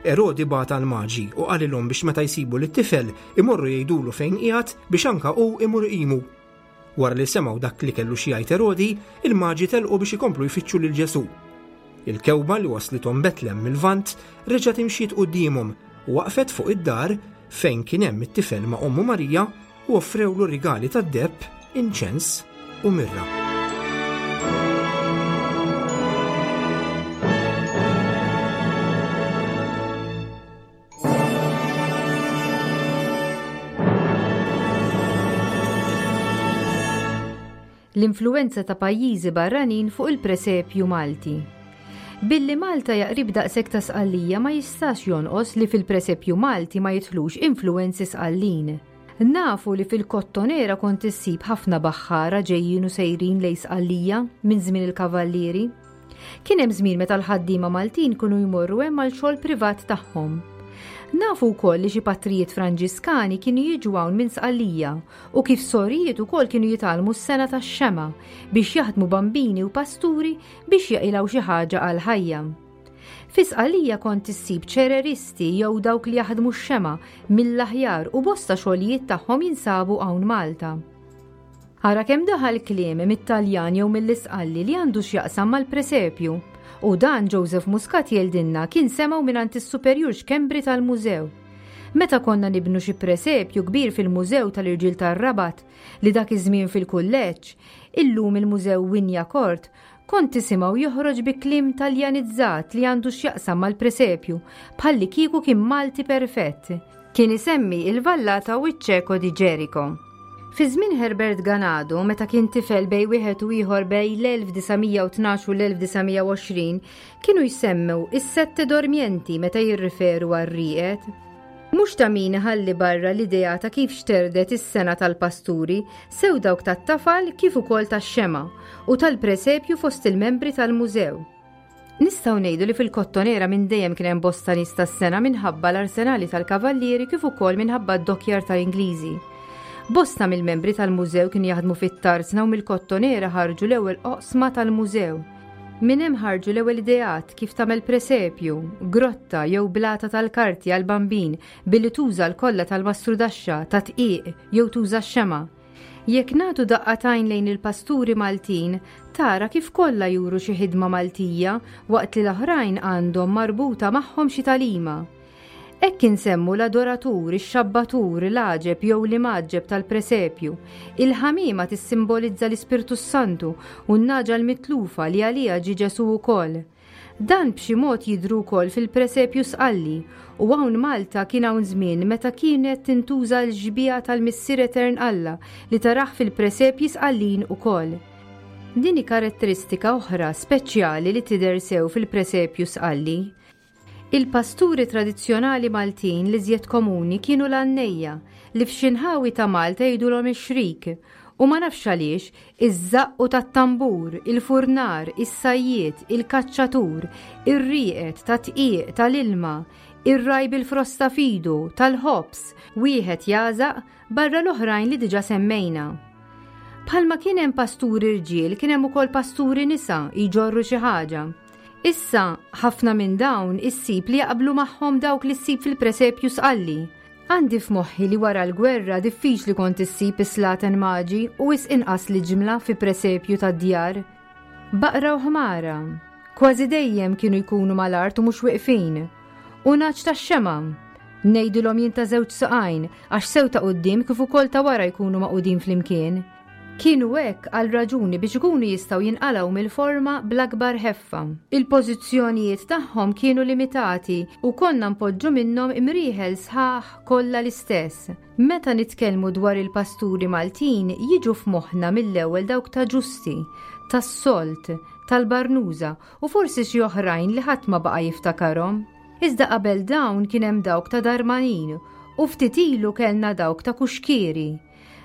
Erodi bagħat għall-Maġi u qalilhom biex meta jsibu lit-tifel imorru jgħidulu fejn qiegħed biex anka hu imur iqimu. Wara li semgħu dak li kellu xi jgħid Erodi, il-Maġi telqu biex ikomplu jfittxu lil Ġesù. Il-kewba li waslithom Betlem mil-Lvant reġgħet imxiet quddiemhom u waqfet fuq id-dar fejn kien hemm it-tifel ma' ommu Marija u offrewlu rigali tad-deheb, inċens u mirra. L-influwenza ta' pajjiżi barranin fuq il-presepju Malti. Billi Malta hija qrib daqshekk ta' Sqallija ma jistax jonqos li fil-presepju Malti ma jidħlux influwenzi Sqallin. Nafu li fil-Kottonera kont issib ħafna baħħara ġejjin u sejrin lejn Sqallija minn żmien il-Kavallieri. Kien hemm żmien meta l-ħaddiema Maltin kienu jmorru hemm għal xogħol privat tagħhom. Nafu wkoll li xi patrijiet Franġiskani kienu jiġu hawn minn Sqallija u kif sorijiet ukoll kienu jitgħallmu s-sengħa tax-xemgħa biex jaħdmu bambini u pasturi biex jaqilgħu xi ħaġa għall-ħajja. Fi Sqallija kont issib ċereristi jew dawk li jaħdmu x-xemgħa mill-aħjar u bosta xogħlijiet tagħhom jinsabu hawn Malta. Ara kemm daħal kliem mit-Taljan jew mill-Isqalli li għandu x'jaqsam mal-presepju. U dan Joseph Muscat jgħidilna kien semgħu mingħand is-Superjur Schembri tal-Mużew. Meta konna nibnu xi presepju kbir fil-Mużew tal-Irġiel tar-Rabat, li dak iż-żmien fil-Kulleġġ, illum il-Mużew Wignacourt, kont tisimgħu joħroġ bi kliem Taljanizzat li għandu x'jaqsam mal-presepju, bħallikieku kien Malti perfett. Kien isemmi il-Vallata u ċ-Ċeko di Ġeriko. Fi żmien Herbert Ganado, meta kien tifel bejn wieħed u ieħor bejn l-1912 u l-1920, kienu jsemmu is-sette dormienti meta jirriferu għar-rieqed. Mhux ta' min iħalli barra l-idea ta' kif xterdet is-sengħa tal-pasturi, sew dawk tat-tafal kif ukoll tax-xemgħa, u tal-presepju fost il-membri tal-mużew. Nistgħu ngħidu li fil-Kottonera minn dejjem kien hemm bosta nies tas-sengħa minħabba l-arsenali tal-kavallieri kif ukoll minħabba d-dokkjar tal-Ingliżi. Bosta mill-membri tal-mużew kienu jaħdmu fit-tarzna u mill-Kottonera ħarġu l-ewwel oqsma tal-mużew. Minn hemm ħarġu l-ewwel ideat kif tagħmel presepju, grotta jew blata tal-karti għall-Bambin billi tuża l-kolla tal-mastrudaxxa, tad-dqiq jew tuża x-xemgħa. Jekk nagħtu daqqa t'għajn lejn il-pasturi Maltin, tara kif kollha juru xi ħidma Maltija waqt li l-oħrajn għandhom marbuta magħhom xi tagħlima. Hekk insemmu l-adoratur, ix-xabbatur, l-għaġeb jew l-imgħaġġeb tal-presepju. Il-ħamiema tissimbolizza l-Ispirtu s-Santu u n-nagħġa l-mitlufa li għaliha ġie Ġesù wkoll. Dan b'xi mod jidhru wkoll fil-presepju Sqalli u hawn Malta kien hawn żmien meta kienet tintuża l-xbieha tal-Missier Etern Alla li tarah fil-presepji Sqallin ukoll. Din hi karatteristika oħra speċjali li tidher sew fil-presepju Sqalli. Il-pasturi tradizzjonali Maltin l-iżjed komuni kienu l-għannejja, li f'xi nħawi ta' Malta jgħidulhom ix-xrik, u ma nafx għaliex, iż-żaqqu tat-tambur, il-furnar, is-sajjied, il-kaċċatur, ir-rieqed, tat-dqiq, tal-ilma, ir-ragħaj bil-frosta f'idu, tal-ħobż, wieħed jagħżaq, barra l-oħrajn li diġà semmejna. Bħalma kien hemm pasturi rġiel, kien hemm ukoll pasturi nisa jġorru xi ħaġa. Issa, ħafna minn dawn issib li jaqblu magħhom dawk li ssib fil-presepju Sqalli. Għandi f'moħħi li wara l-gwerra diffiċli kont issib is-slaten maġi u wisq inqas l-iġmla fi presepju tad-djar. Baqra u ħmara. Kważi dejjem kienu jkunu mal-art u mhux wiqfin. U nagħaġ tax-xemgħa. Ngħidilhom jien ta' żewġ saqajn għax sew ta' quddiem kif ukoll ta' wara jkunu magħqudin flimkien. Kienu hekk għal raġuni biex ikunu jistgħu jinqalgħu mill-forma bl-akbar ħeffa. Il-pożizzjonijiet tagħhom kienu limitati u konna npoġġu minnhom imrieħel sħaħ kollha l-istess. Meta nitkellmu dwar il-pasturi Maltin jiġu f'moħħna mill-ewwel dawk ta' Ġusti, tas-Solt, tal-Barnuża u forsi xi oħrajn li ħadd ma baqa' jiftakarhom. Iżda qabel dawn kien hemm dawk ta' Darmanin u ftit ilu kellna dawk ta' Kuxkieri.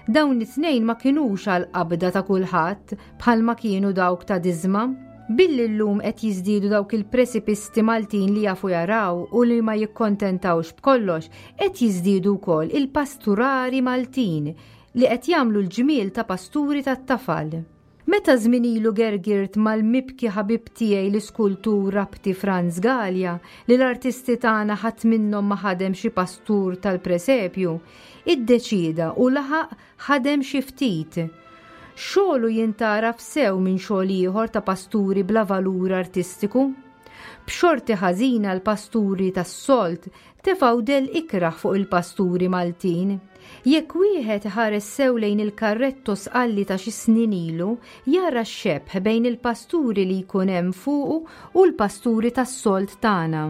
Dawn it-tnejn ma kinux għall-qabda ta' kulħadd bħalma kienu dawk ta' Diżma. Billi llum qed jiżdiedu dawk il-presipisti Maltin li jafu jaraw u li ma jikkontentawx b'kollox, qed jiżdiedu wkoll il-pasturari Maltin li qed jagħmlu l-ġmiel ta' pasturi tat-tafal. Meta żmien ilu gergirt mal-mibki ħabib tiegħi l-iskultur Rabti Franz Galea li l-artisti tagħna ħadd minnhom ma ħadem xi pastur tal-presepju, iddeċieda u laħaq ħadem xi ftit. Xogħlu jintgħaraf sew minn xogħol ieħor ta' pasturi bla valur artistiku. B'xorti ħażina l-pasturi tas-solt Tefgħu dell ikrah fuq il-pasturi Maltin. Jekk wieħed iħares sew lejn il-karretto Sqalli ta' xi snin ilu, jara x-xebh bejn il-pasturi li jkun hemm fuqu u l-pasturi tas-sold tagħna.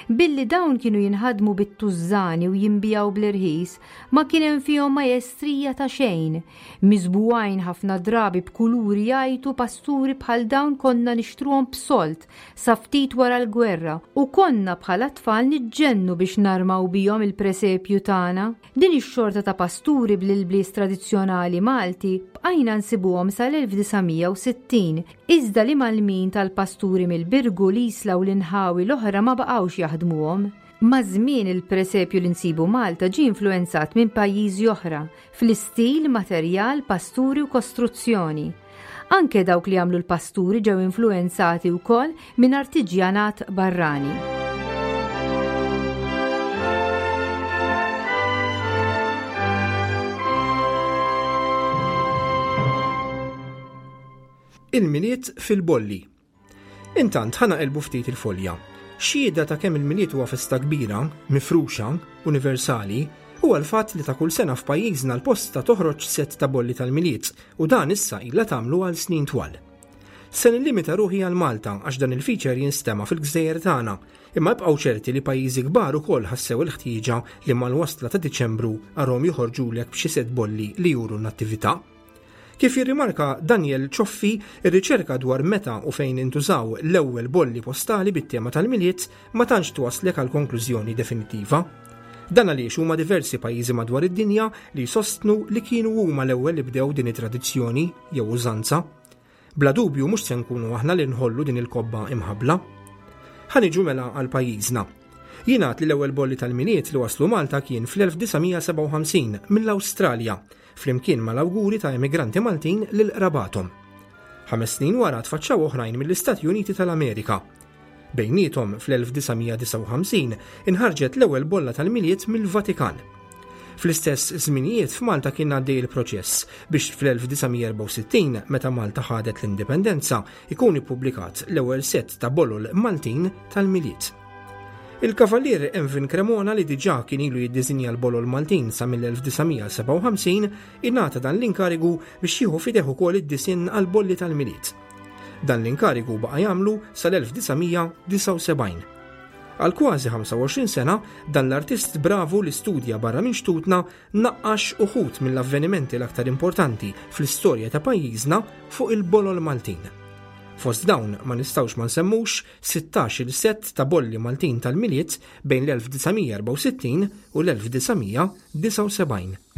Billi dawn kienu jinħadmu bit-tużżani u jinbiegħu bl-irħis, ma kien hemm fihom majestrija ta' xejn. Miżbugħin ħafna drabi b'kuluri jgħajtu pasturi bħal dawn konna nixtruhom b'sold sa ftit wara l-gwerra u konna bħala tfal niġġennu biex narmaw bihom il-presepju tagħna. Din ix-xorta ta' pasturi bl-ilbies tradizzjonali Malti bqajna nsibuhom sal-1960, iżda l-imgħallmin tal-pasturi mill-Birgu, l-Isla u l-inħawi l-oħra ma baqgħux jaħdmuhom. Maż-żmien il-presepju li nsibu Malta ġie influwenzat minn pajjiżi oħra fl-istil, materjal, pasturi u kostruzzjoni. Anke dawk li għamlu l-pasturi ġew influwenzati wkoll minn artiġjanat barrani. Il-Milied fil-Bolli. Intant, ħa naqilbu ftit il-folja. Xhieda ta' kemm il-Milied huwa festa kbira, mifruxa, universali, huwa l-fatt li ta' kull sena f'pajjiżna l-Posta toħroġ sett ta' bolli tal-Milied u dan issa ilha tagħmlu għal snin twal. Se nillimita ruħi għal Malta għax dan il-feature jinstema' fil-gżejjer tagħna, imma ibqgħu ċerti li pajjiżi kbar ukoll ħassew il-ħtieġa li mal-wasla ta' Diċembru arhom joħorġulek b'xi sett bolli li juru n-nattività. Kif jirrimarka Daniel Cioffi, ir-riċerka dwar meta u fejn intużaw l-ewwel bolli postali bit-tema tal-Milied ma tantx twasslek għal konklużjoni definittiva. Dan għaliex huma diversi pajjiżi madwar id-dinja li jsostnu li kienu huma l-ewwel li bdew din it-tradizzjoni jew użanza. Bla dubju mhux se nkunu aħna li nħollu din il-kobba imħabbla. Ħa niġu mela għal pajjiżna. Jingħad li l-ewwel bolli tal-Milied li waslu Malta kien fl-1957 mill-Awstralja flimkien mal-awguri ta' emigranti Maltin lil qrabathom. Ħames snin wara tfaċċaw oħrajn mill-Istati Uniti tal-Amerika. Bejniethom fl-1959 inħarġet l-ewwel bolla tal-Milied mill-Vatikan. Fl-istess żminijiet f'Malta kien għaddej il-proċess biex fl-1964 meta Malta ħadet l-indipendenza ikun ippubblikat l-ewwel sett ta' bolol Maltin tal-Milied. Il-Kavallier Emvin Cremona li diġà kien ilu jiddiżinja l-bolol Maltin sa mill-1957 ingħata dan l-inkarigu biex jieħu f'idejh ukoll id-disinn għall-bolli tal-Milied. Dan l-inkarigu baqa' jagħmlu sal-1979. Għal kważi 25 sena, dan l-artist bravu li studja barra minn xtutna naqqax uħud mill-avvenimenti l-aktar importanti fl-istorja ta' pajjiżna fuq il-bolol Maltin. Fost dawn ma nistgħux ma nsemmux 16-il sett ta' bolli Maltin tal-Milied bejn l-1964 u l-1979.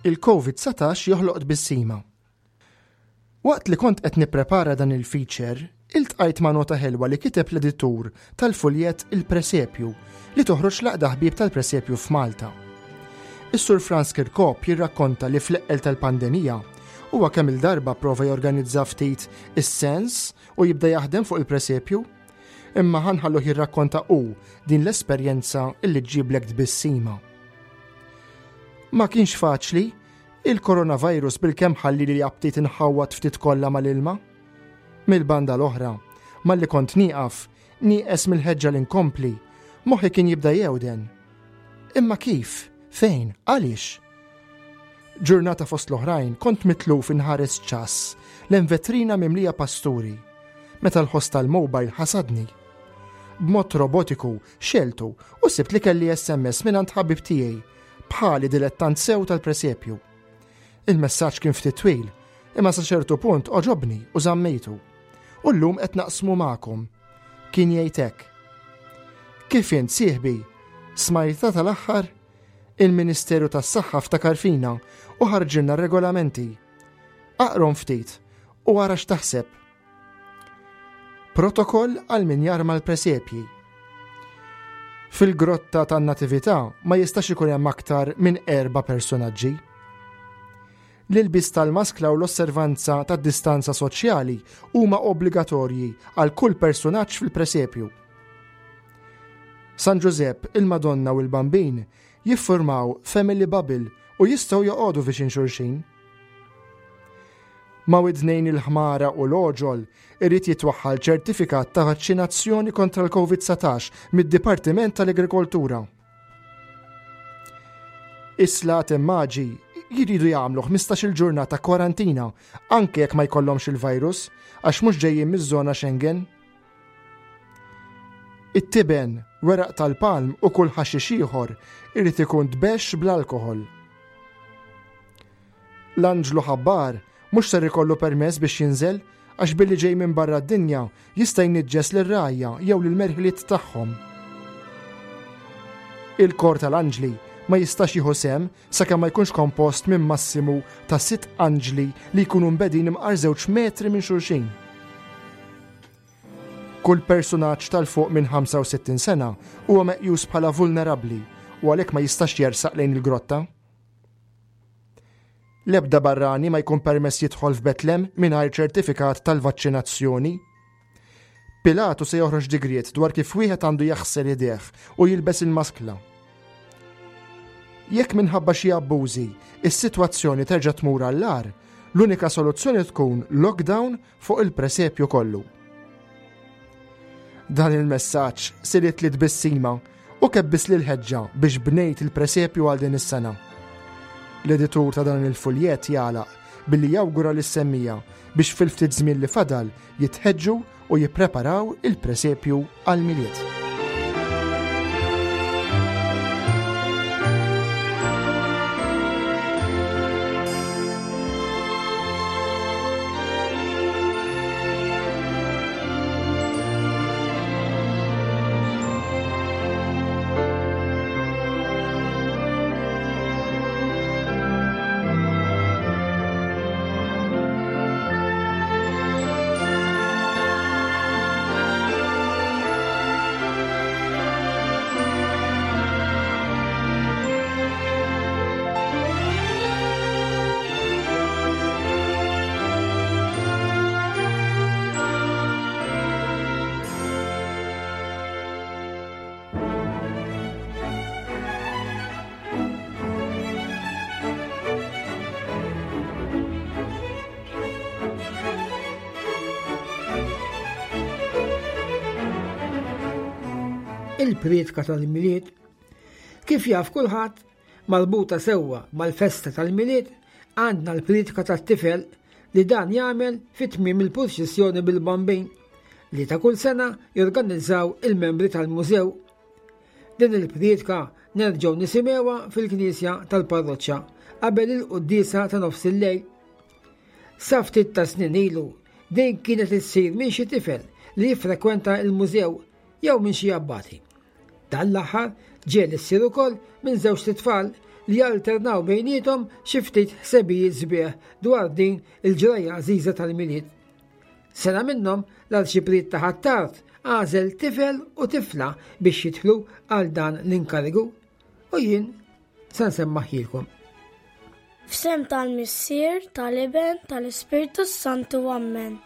Il-Covid 19 joħloq tbissima. Waqt li kont qed nipprepara dan il-feature, iltqajt ma' nota ħelwa li kiteb l-editur tal-fuljett Il-Presepju li toħroġ l-Għaqda Ħbieb tal-Presepju f'Malta. Is-Sur Frans Kirkop jirrakkonta li fl-eqqel tal-pandemija huwa kemm-il darba prova jorganizza ftit is-sens u jibda jaħdem fuq il-presepju. Imma ħa nħalluh jirrakkonta hu din l-esperjenza illi ġġiblek tbissima. Ma kienx faċli Il-coronavirus bilkemm ħallili aptit inħawwad ftit kollha mal-ilma. Mill-banda l-oħra, malli kont nieqaf, nieqes mill-ħeġġa li nkompli, moħħi kien jibda jewden. Imma kif? Fejn? Għaliex? Ġurnata fost l-oħrajn kont mitluf inħares ċass lejn vetrina mimlija pasturi, meta l-ħoss tal-mobile ħasadni. B'mod robotiku xeltu u sibt li kelli SMS mingħand ħabib tiegħi bħali dilettant sew tal-presepju. Il-messaġġ kien ftit twil, imma sa ċertu punt oġobni u żammejtu. U llum qed naqsmu magħkom. Kien jgħid hekk. Kif int sieħbi? Smajta tal-aħħar? Il-Ministeru tas-Saħħa ftakar fina u ħarġilna regolamenti. Aqrom ftit u ara x'taħseb. Protokoll għal min jarma l-presepji. Fil-grotta tan-Natività ma jistax ikun hemm aktar minn erba' personaġġi. L-ilbis tal-maskla u l-osservanza tad-distanza soċjali huma obbligatorji għal kull personaġġ fil-presepju. San Ġużepp, il-Madonna u l-Bambin jiffurmaw family bubble u jistgħu joqogħdu viċin xulxin. Ma' widnejn il-ħmara u l-għoġol irid jitwaħħal ċertifikat ta' vaċċinazzjoni kontra l-Covid-19 mid-Dipartiment tal-Agrikoltura. Is-slaten maġi jridu jagħmlu 15-il ġurnata kwarantina anke jekk ma jkollhomx il-virus għax mhux ġejjin miż-żona Schengen. It-tiben, weraq tal-palm u kull ħaxix ieħor irid ikun tbexx bl-alkoħol. L-anġlu ħabbar mhux ser ikollu permess biex jinżel għax billi ġej minn barra d-dinja jista' jniġġes lir-rgħajja jew lill-merħliet tagħhom. Il-kor tal-anġli ma jistax jieħu sehem sakemm ma jkunx kompost minn massimu ta' sitt anġli li jkunu mbegħdin imqar żewġ metri minn xulxin. Kull persunaġġ tal-fuq minn 65 sena huwa meqjus bħala vulnerabbli u għalhekk ma jistax jersaq lejn il-grotta. L-ebda barrani ma jkun permess jidħol f'Betlem mingħajr ċertifikat tal-vaċċinazzjoni. Pilatu se joħroġ digriet dwar kif wieħed għandu jaħsel idejh u jilbes il-maskla. Jekk minħabba xi abbużi, is-sitwazzjoni terġa' tmur għall-agħar, l-unika soluzzjoni tkun lockdown fuq il-presepju kollu. Dan il-messaġġ sirit li tbissima u kebbis li l-ħeġġa biex bnejt il-presepju għal din is-sena. L-editur ta' dan il-fuljett jagħlaq billi jawgura lis-semmija biex fil-ftit żmien li fadal jitħeġġu u jippreparaw il-presepju għall-Milied. Il-prietka tal-Milied. Kif jaf kulħadd, marbuta sewwa mal-festa tal-Milied għandna l-prietka tat-tifel li dan jagħmel fi tmiem il-purċissjoni bil-Bambin li ta' kull sena jorganizzaw il-membri tal-mużew. Din il-prietka nerġgħu nisimgħuha fil-knisja tal-parroċċa qabel il-quddiesa ta' nofs il-lejl. Sa ftit ta' snin ilu, din kienet issir minn xi tifel li jiffrekwenta l-mużew jew minn xi abbati. Dan l-aħħar ġieli ssir ukoll minn żewġt itfal li jalternaw bejniethom xi ftit ħsebijiet sbieħ dwar din il-ġrajja għażiża tal-Milied. Sena minnhom l-Arċipriet ta' Ħ'Attard għażel tifel u tifla biex jidħlu għal dan l-inkarigu u jien se nsemmaħilkom. F'sem tal-Missier, tal-Iben, tal-Ispirtu Santu Ammen.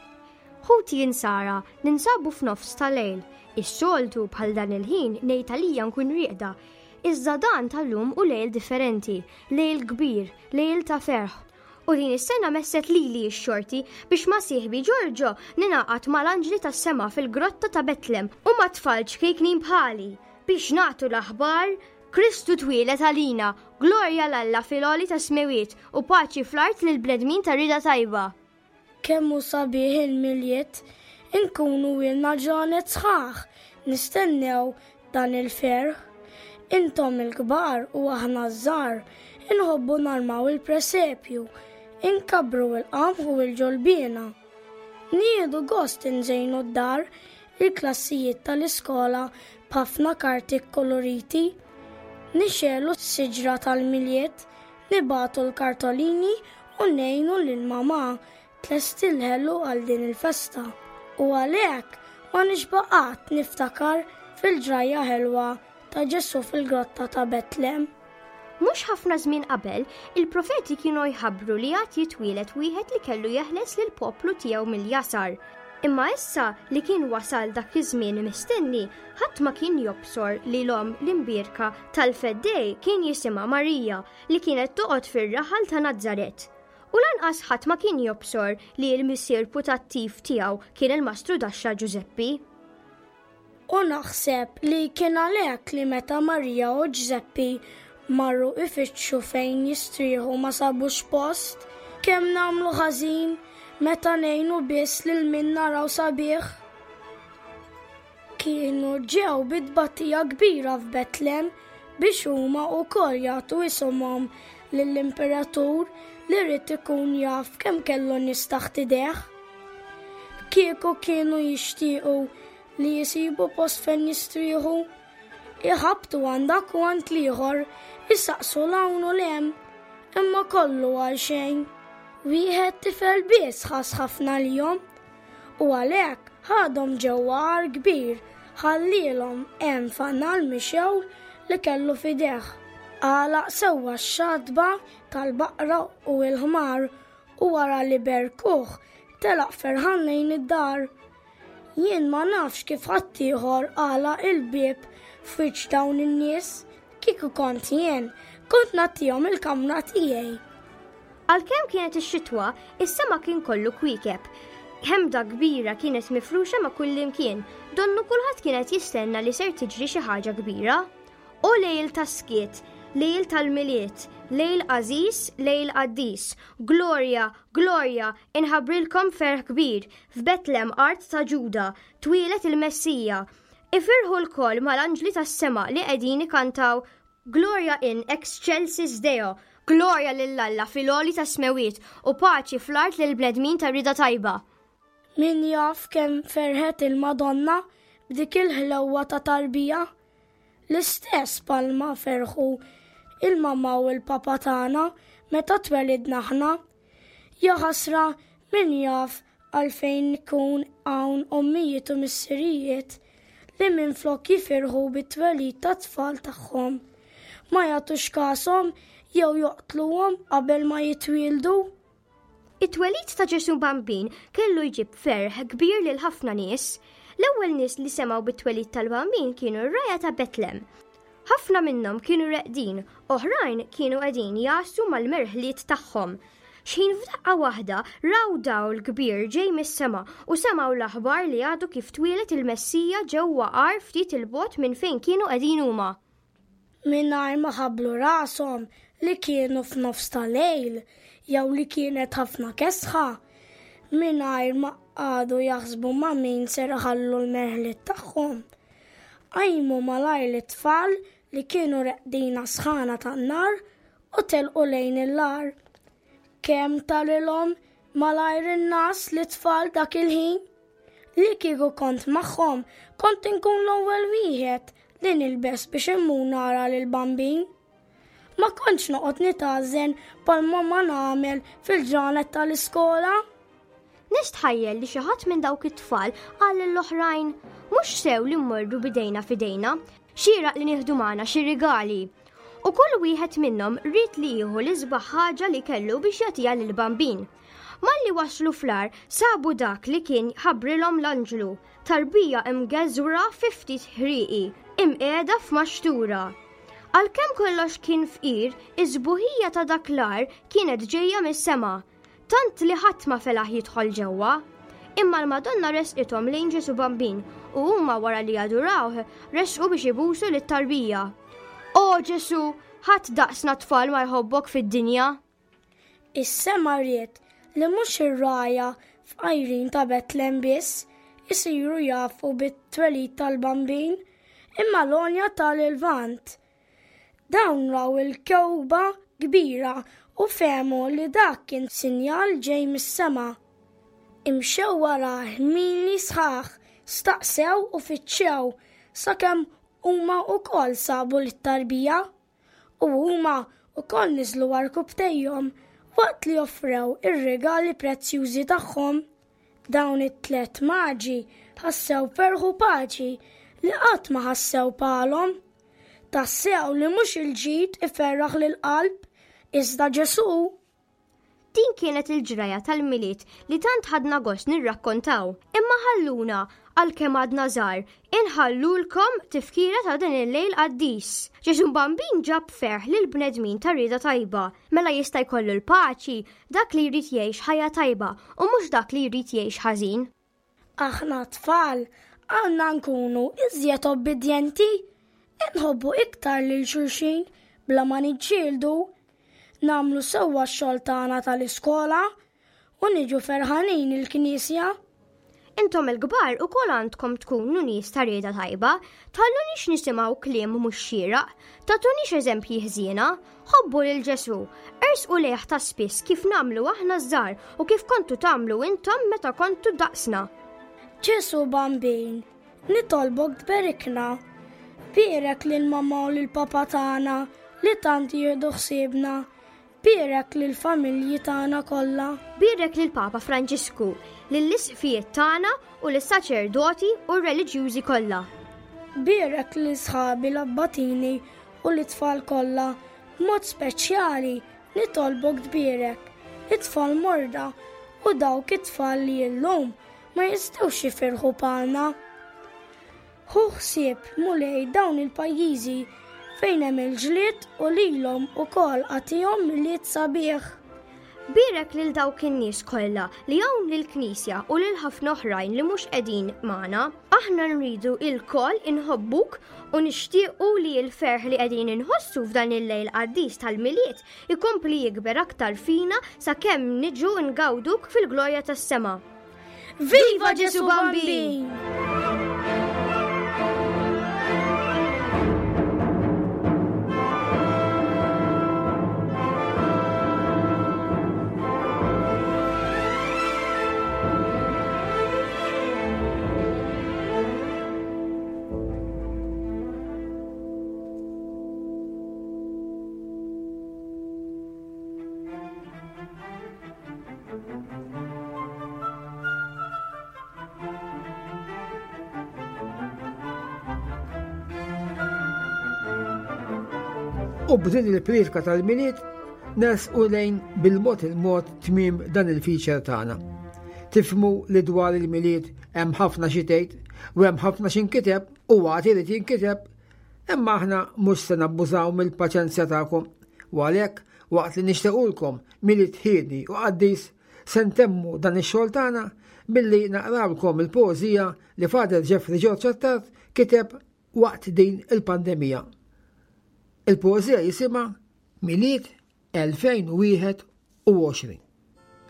Ħuti Insara, ninsabu f'nofs ta' lejl. Is-soltu bħal dan il-ħin ngħid għalija nkun rieqda. Iżda dan tal-lum u lejl differenti, lejl kbir, lejl ta' ferħ. U din is-sena messet lili x-xorti biex ma' sieħbi Giorgio ningħaqad mal-anġli tas-sema fil-grotta ta' Betlem u ma' tfal ċkejknin bħali biex nagħtu l-aħbar Kristu twieled għalina, glorja 'l Alla fil-għoli tas-smewwiet u paċi fl-art lill-bnedmin ta' rieda tajba. Kemm hu sabiħ il-Milied, inkunu ilna ġranet sħaħ nistennew dan il-ferħ. Intom il-kbar u aħna ż-żgħar inħobbu narmaw il-presepju, inkabbru il-qamħ u l-ġolbiena. Nieħdu gost inżejnu d-dar, il-klassijiet tal-iskola b'ħafna karti kkoloriti. Nixegħlu s-siġra tal-Milied, nibagħtu l-kartolini u ngħinu lil mamà tlesti l-ħelu għal din il-festa. U għalhekk ma nixba' qatt niftakar fil-ġrajja ħelwa ta' Ġesù fil-grotta ta' Betlem. Mhux ħafna żmien qabel, il-profeti kienu jħabbru li għad jitwieled wieħed li kellu jeħles lill-poplu tiegħu mill-jasar. Imma issa li kien wasal dak iż-żmien mistenni, ħadd ma kien jobsor li l-omm l-imbierka tal-Feddej kien jisimha Marija li kienet toqgħod fir-raħal ta' Nazaret. U lanqas ħadd ma kien jobsor li l-missier putattiv tiegħu kien il-mastru daxxa Ġużeppi. U naħseb li kien għalhekk li meta Marija u Ġżeppi marru ifittxu fejn jistrieħu ma sabux post. Kemm nagħmlu ħażin meta ngħinu biss lil min naraw sabiħ. Kienu ġew bi tbatija kbira f'Betlem biex huma wkoll jagħtu isimhom lill-imperatur li ried ikun jaf kemm kellu nies taħt idejh. Kieku kienu jixtiequ li jisibu post fejn jistrieħu, iħabbtu għand dak u għand l-ieħor, isaqsu 'l hawn u 'l hemm, imma kollu għal xejn. Wieħed tifel biss ħass ħafna għalihom, u għalhekk ħadhom ġewwa għar kbir, ħallielhom hemm fanal mixgħul li kellu f'idejh. Għalaq sewwa x-xatba tal-baqra u l-ħmar u wara li berkuh telaq ferħan lejn id-dar. Jien ma nafx kif ħaddieħor għalaq il-bieb f'wiċċ dawn in-nies, kieku kont jien, kont nagħtihom il-kamra tiegħi. Għalkemm kienet ix-xitwa, is-sema kien kollu kwiekeb. Ħemda kbira kienet mifruxa ma' kullimkien, donnu kulħadd kien qed jistenna li ser tiġri xi ħaġa kbira. O lejl tas-skiet, lejl tal-Milied, lejl għażiż, lejl qaddis. Glorja, glorja, inħabbrilkom ferħ kbir, f'Betlem art ta' Ġuda, twieled il-Messija. Ifirħu lkoll mal-anġli tas-sema li qegħdin ikantaw Gloria in excelsis Deo, glorja lil Alla fil-għoli tas-smewwiet u paċi fl-art lill-bnedmin ta' rieda tajba. Min jaf kemm ferħet il-Madonna b'dik il-ħlewwa ta' tarbija! L-istess bħalma ferħu il-mamà u l-papà tagħna meta twelidna aħna. Jaħasra min jaf għalfejn ikun hawn ommijiet u missirijiet li minflok jifirħu bit-twelid tat-tfal tagħhom, ma jagħtux kashom jew joqtluhom qabel ma jitwieldu. It-twelid ta' Ġesù Bambin kellu jġib ferħ kbir lil ħafna nies. L-ewwel nies li semgħu bit-twelid tal-Bambin kienu r-rgħajja ta' Betlem. Ħafna minnhom kienu reqdin, oħrajn kienu qegħdin jgħassu mal-merħliet tagħhom. X'ħin f'daqqa waħda raw dawl kbir ġej mis-sema u semgħu l-aħbar li għadu kif twieled il-Messija ġewwa għar ftit 'il bogħod minn fejn kienu qegħdin huma. Mingħajr ma ħabblu rashom li kienu f'nofs ta' lejl jew li kienet ħafna kesħa, mingħajr ma qagħdu jaħsbu ma' min ser iħallu l-merħliet tagħhom. Qajmu malajr lit-tfal li kienu reqdin għas-sħana tan-nar u telqu lejn il-għar. Kemm tarilhom malajr in-ngħas lit-tfal dak il-ħin! Li kieku kont magħhom, kont inkun l-ewwel wieħed li nilbes biex immur nara lill-Bambin. Ma kontx noqgħod nitgħażżen bħalma ma nagħmel fil-ġranet tal-iskola. Nistħajjel li xi ħadd minn dawk it-tfal qal lill-oħrajn, mhux sew li mmorru bidejna f'idejna, xieraq li nieħdu magħna xi rigali. U kull wieħed minnhom ried li jieħu l-isbaħ ħaġa li kellu biex jagħtiha lill-bambin. Malli waslu fl-għar sabu dak li kien ħabbrilhom l-anġlu, tarbija imgeżwra fi ftit ħrieqi, imqiegħda f'maxtura. Għalkemm kollox kien fqir, is-sbuħija ta' dak l-għar kienet ġejja mis-sema, tant li ħadd ma felaħ jidħol ġewwa. Imma l-Madonna resqithom lejn Ġesù Bambin u huma wara li adurawh, resqu biex ibusu lit-tarbija. O Ġesù, ħadd daqsna tfal ma jħobbok fid-dinja! Is-sema ried li mhux ir-rgħajja fqajrin ta' Betlem biss isiru jafu bit-twelid tal-Bambin, imma l-għonja tal-Lvant. Dawn raw il-kewkba kbira u fehmu li dak kien sinjal ġej mis-sema. Imxew warah mili sħaħ, staqsew u fittxew sakemm huma wkoll sabu lit-tarbija. U huma wkoll niżlu għarkupptejhom waqt li offrew ir-rigali prezzjużi tagħhom. Dawn it-tlett maġi ħassew ferħ u paċi li qatt ma ħassew bħalhom. Tassew li mhux il-ġid iferraħ lill-qalb, iżda Ġesù. Din kienet il-ġraja tal-Milied li tant ħadna gost nirrakkontaw. Imma ħalluna, għalkemm għadna żgħar, inħallulkom tifkira ta' din il-lejl qaddis. Ġesù Bambin ġab ferħ lill-bnedmin ta' rieda tajba. Mela jista' jkollu l-paċi dak li jrid jgħix ħajja tajba u mhux dak li jrid jgħix ħażin. Aħna t-tfal għandna nkunu iżjed obbidjenti, inħobbu iktar lil xulxin bla ma niġġieldu, nagħmlu sewwa x-xogħol tagħna tal-iskola u niġu ferħanin il-knisja. Intom il-kbar ukoll għandkom tkunu nies ta' rieda tajba, tħallunix nisimgħu kliem mhux xieraq, tagħtunix eżempji ħżiena, ħobbu lil Ġesù, ersqu lejh ta' spiss kif nagħmlu aħna ż-żgħar u kif kontu tagħmlu intom meta kontu daqsna. Ġesù Bambin, nitolbok tberikna. Bierek lil mamma u lil papa tagħna li tant jieħdu ħsiebna. Bierek lill-familji tagħna kollha. Bierek lill-Papa Franġisku, lill-isqfijiet tagħna u lis-saċerdoti u r-reliġjużi kollha. Bierek lil sħabi l-abbatini u lit-tfal kollha, b'mod speċjali nitolbok tbierek it-tfal morda u dawk it-tfal li llum ma jistgħux jifirħu bħalna. Ħu ħsieb, Mulej, dawn il-pajjiżi fejn hemm il-ġlied u lilhom ukoll agħtihom Milied sabiħ. Bierek lil dawk in-nies kollha li hawn lill-Knisja u lil ħafna oħrajn li mhux qegħdin magħna. Aħna nridu ilkoll inħobbuk u nixtiequ li l-ferħ li qegħdin inħossu f'dan il-lejl qaddis tal-Milied ikompli jikber aktar fina sakemm niġu ngawduk fil-glorja tas-sema. Viva Ġesu Bambin! U b'din il-priedka tal-Milied nersqu lejn bil-mod il-mod tmiem dan il-feature tagħna. Tifhmu li dwar il-Milied hemm ħafna xi tgħid u hemm ħafna xi nkiteb u għad irid jinkiteb, imma aħna mhux se nabbużaw mill-paċenzja tagħkom u għalhekk waqt li nixtiequlkom Milied ħieni u qaddis Se ntemmu dan ix-xogħol tagħna billi naqrawlkom il-poeżija li Father Jeffrey George Attard kiteb waqt din il-pandemija. Il-poeżija jisimha Milied 2021.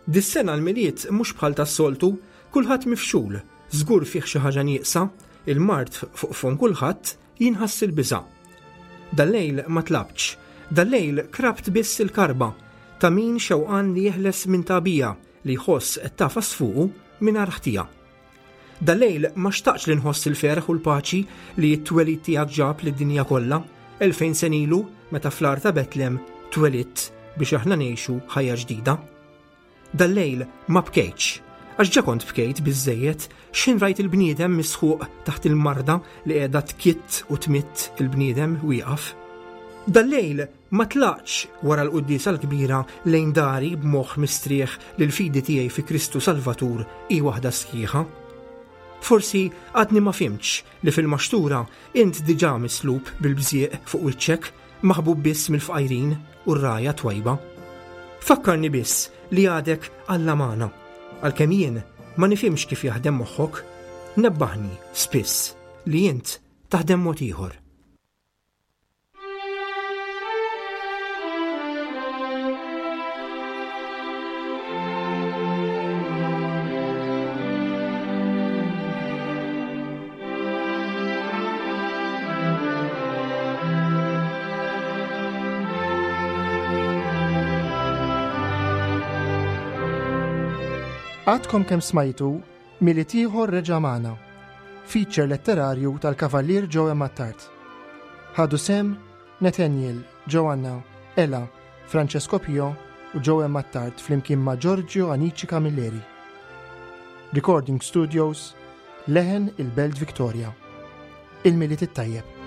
Dis-sena l-Milied mhux bħal tas-soltu, kulħadd mifxul, żgur fih xi ħaġa nieqsa, il-mard fuq fomm kulħadd, jinħass il-biża'. Dal-lejl ma tlabtx, dal-lejl krabt biss il-karba ta' min xewqan li jeħles minn tagħbija li jħoss qed tagħfas fuqu mingħajr ħtija. Dal-lejl ma xtaqtx li nħoss il-ferħ u l-paċi li t-twelid tiegħek ġab lid-dinja kollha, 2000 sena ilu. meta fl-għar ta' Betlem twelidt biex aħna ngħixu ħajja ġdida. Dal-lejl ma bkejtx, għax ġa kont bkejt biżżejjed x'ħin rajt il-bniedem misħuq taħt il-marda li qiegħda tkitt u tmitt il-bniedem wieqaf. Dal-lejl ma tlaqtx wara l-quddiesa l-kbira lejn dari b'moħħ mistrieħ li l-fidi tiegħi fi Kristu Salvatur hi waħda sħiħa. Forsi għadni ma fhimtx li fil-maxtura int diġà mislub bil-bżieq fuq wiċċek, maħbub biss mill-fqajrin u r-rgħajja twajba. Fakkarni biss li għadek Alla magħna, għalkemm jien ma nifhimx kif jaħdem moħħok, nebbaħni spiss li int taħdem mod ieħor. Għadkom kemm smajtu Milied ieħor reġa' magħna, feature letterarju tal-Kavallier Joe Attard. Ħadu sehem Nathaniel, Joanna, Ella, Francesco Pio u Joe Attard flimkien ma' Giorgio Anici Camilleri. Recording Studios, Leħen il-Belt Victoria. Il-Milied it-Tajjeb.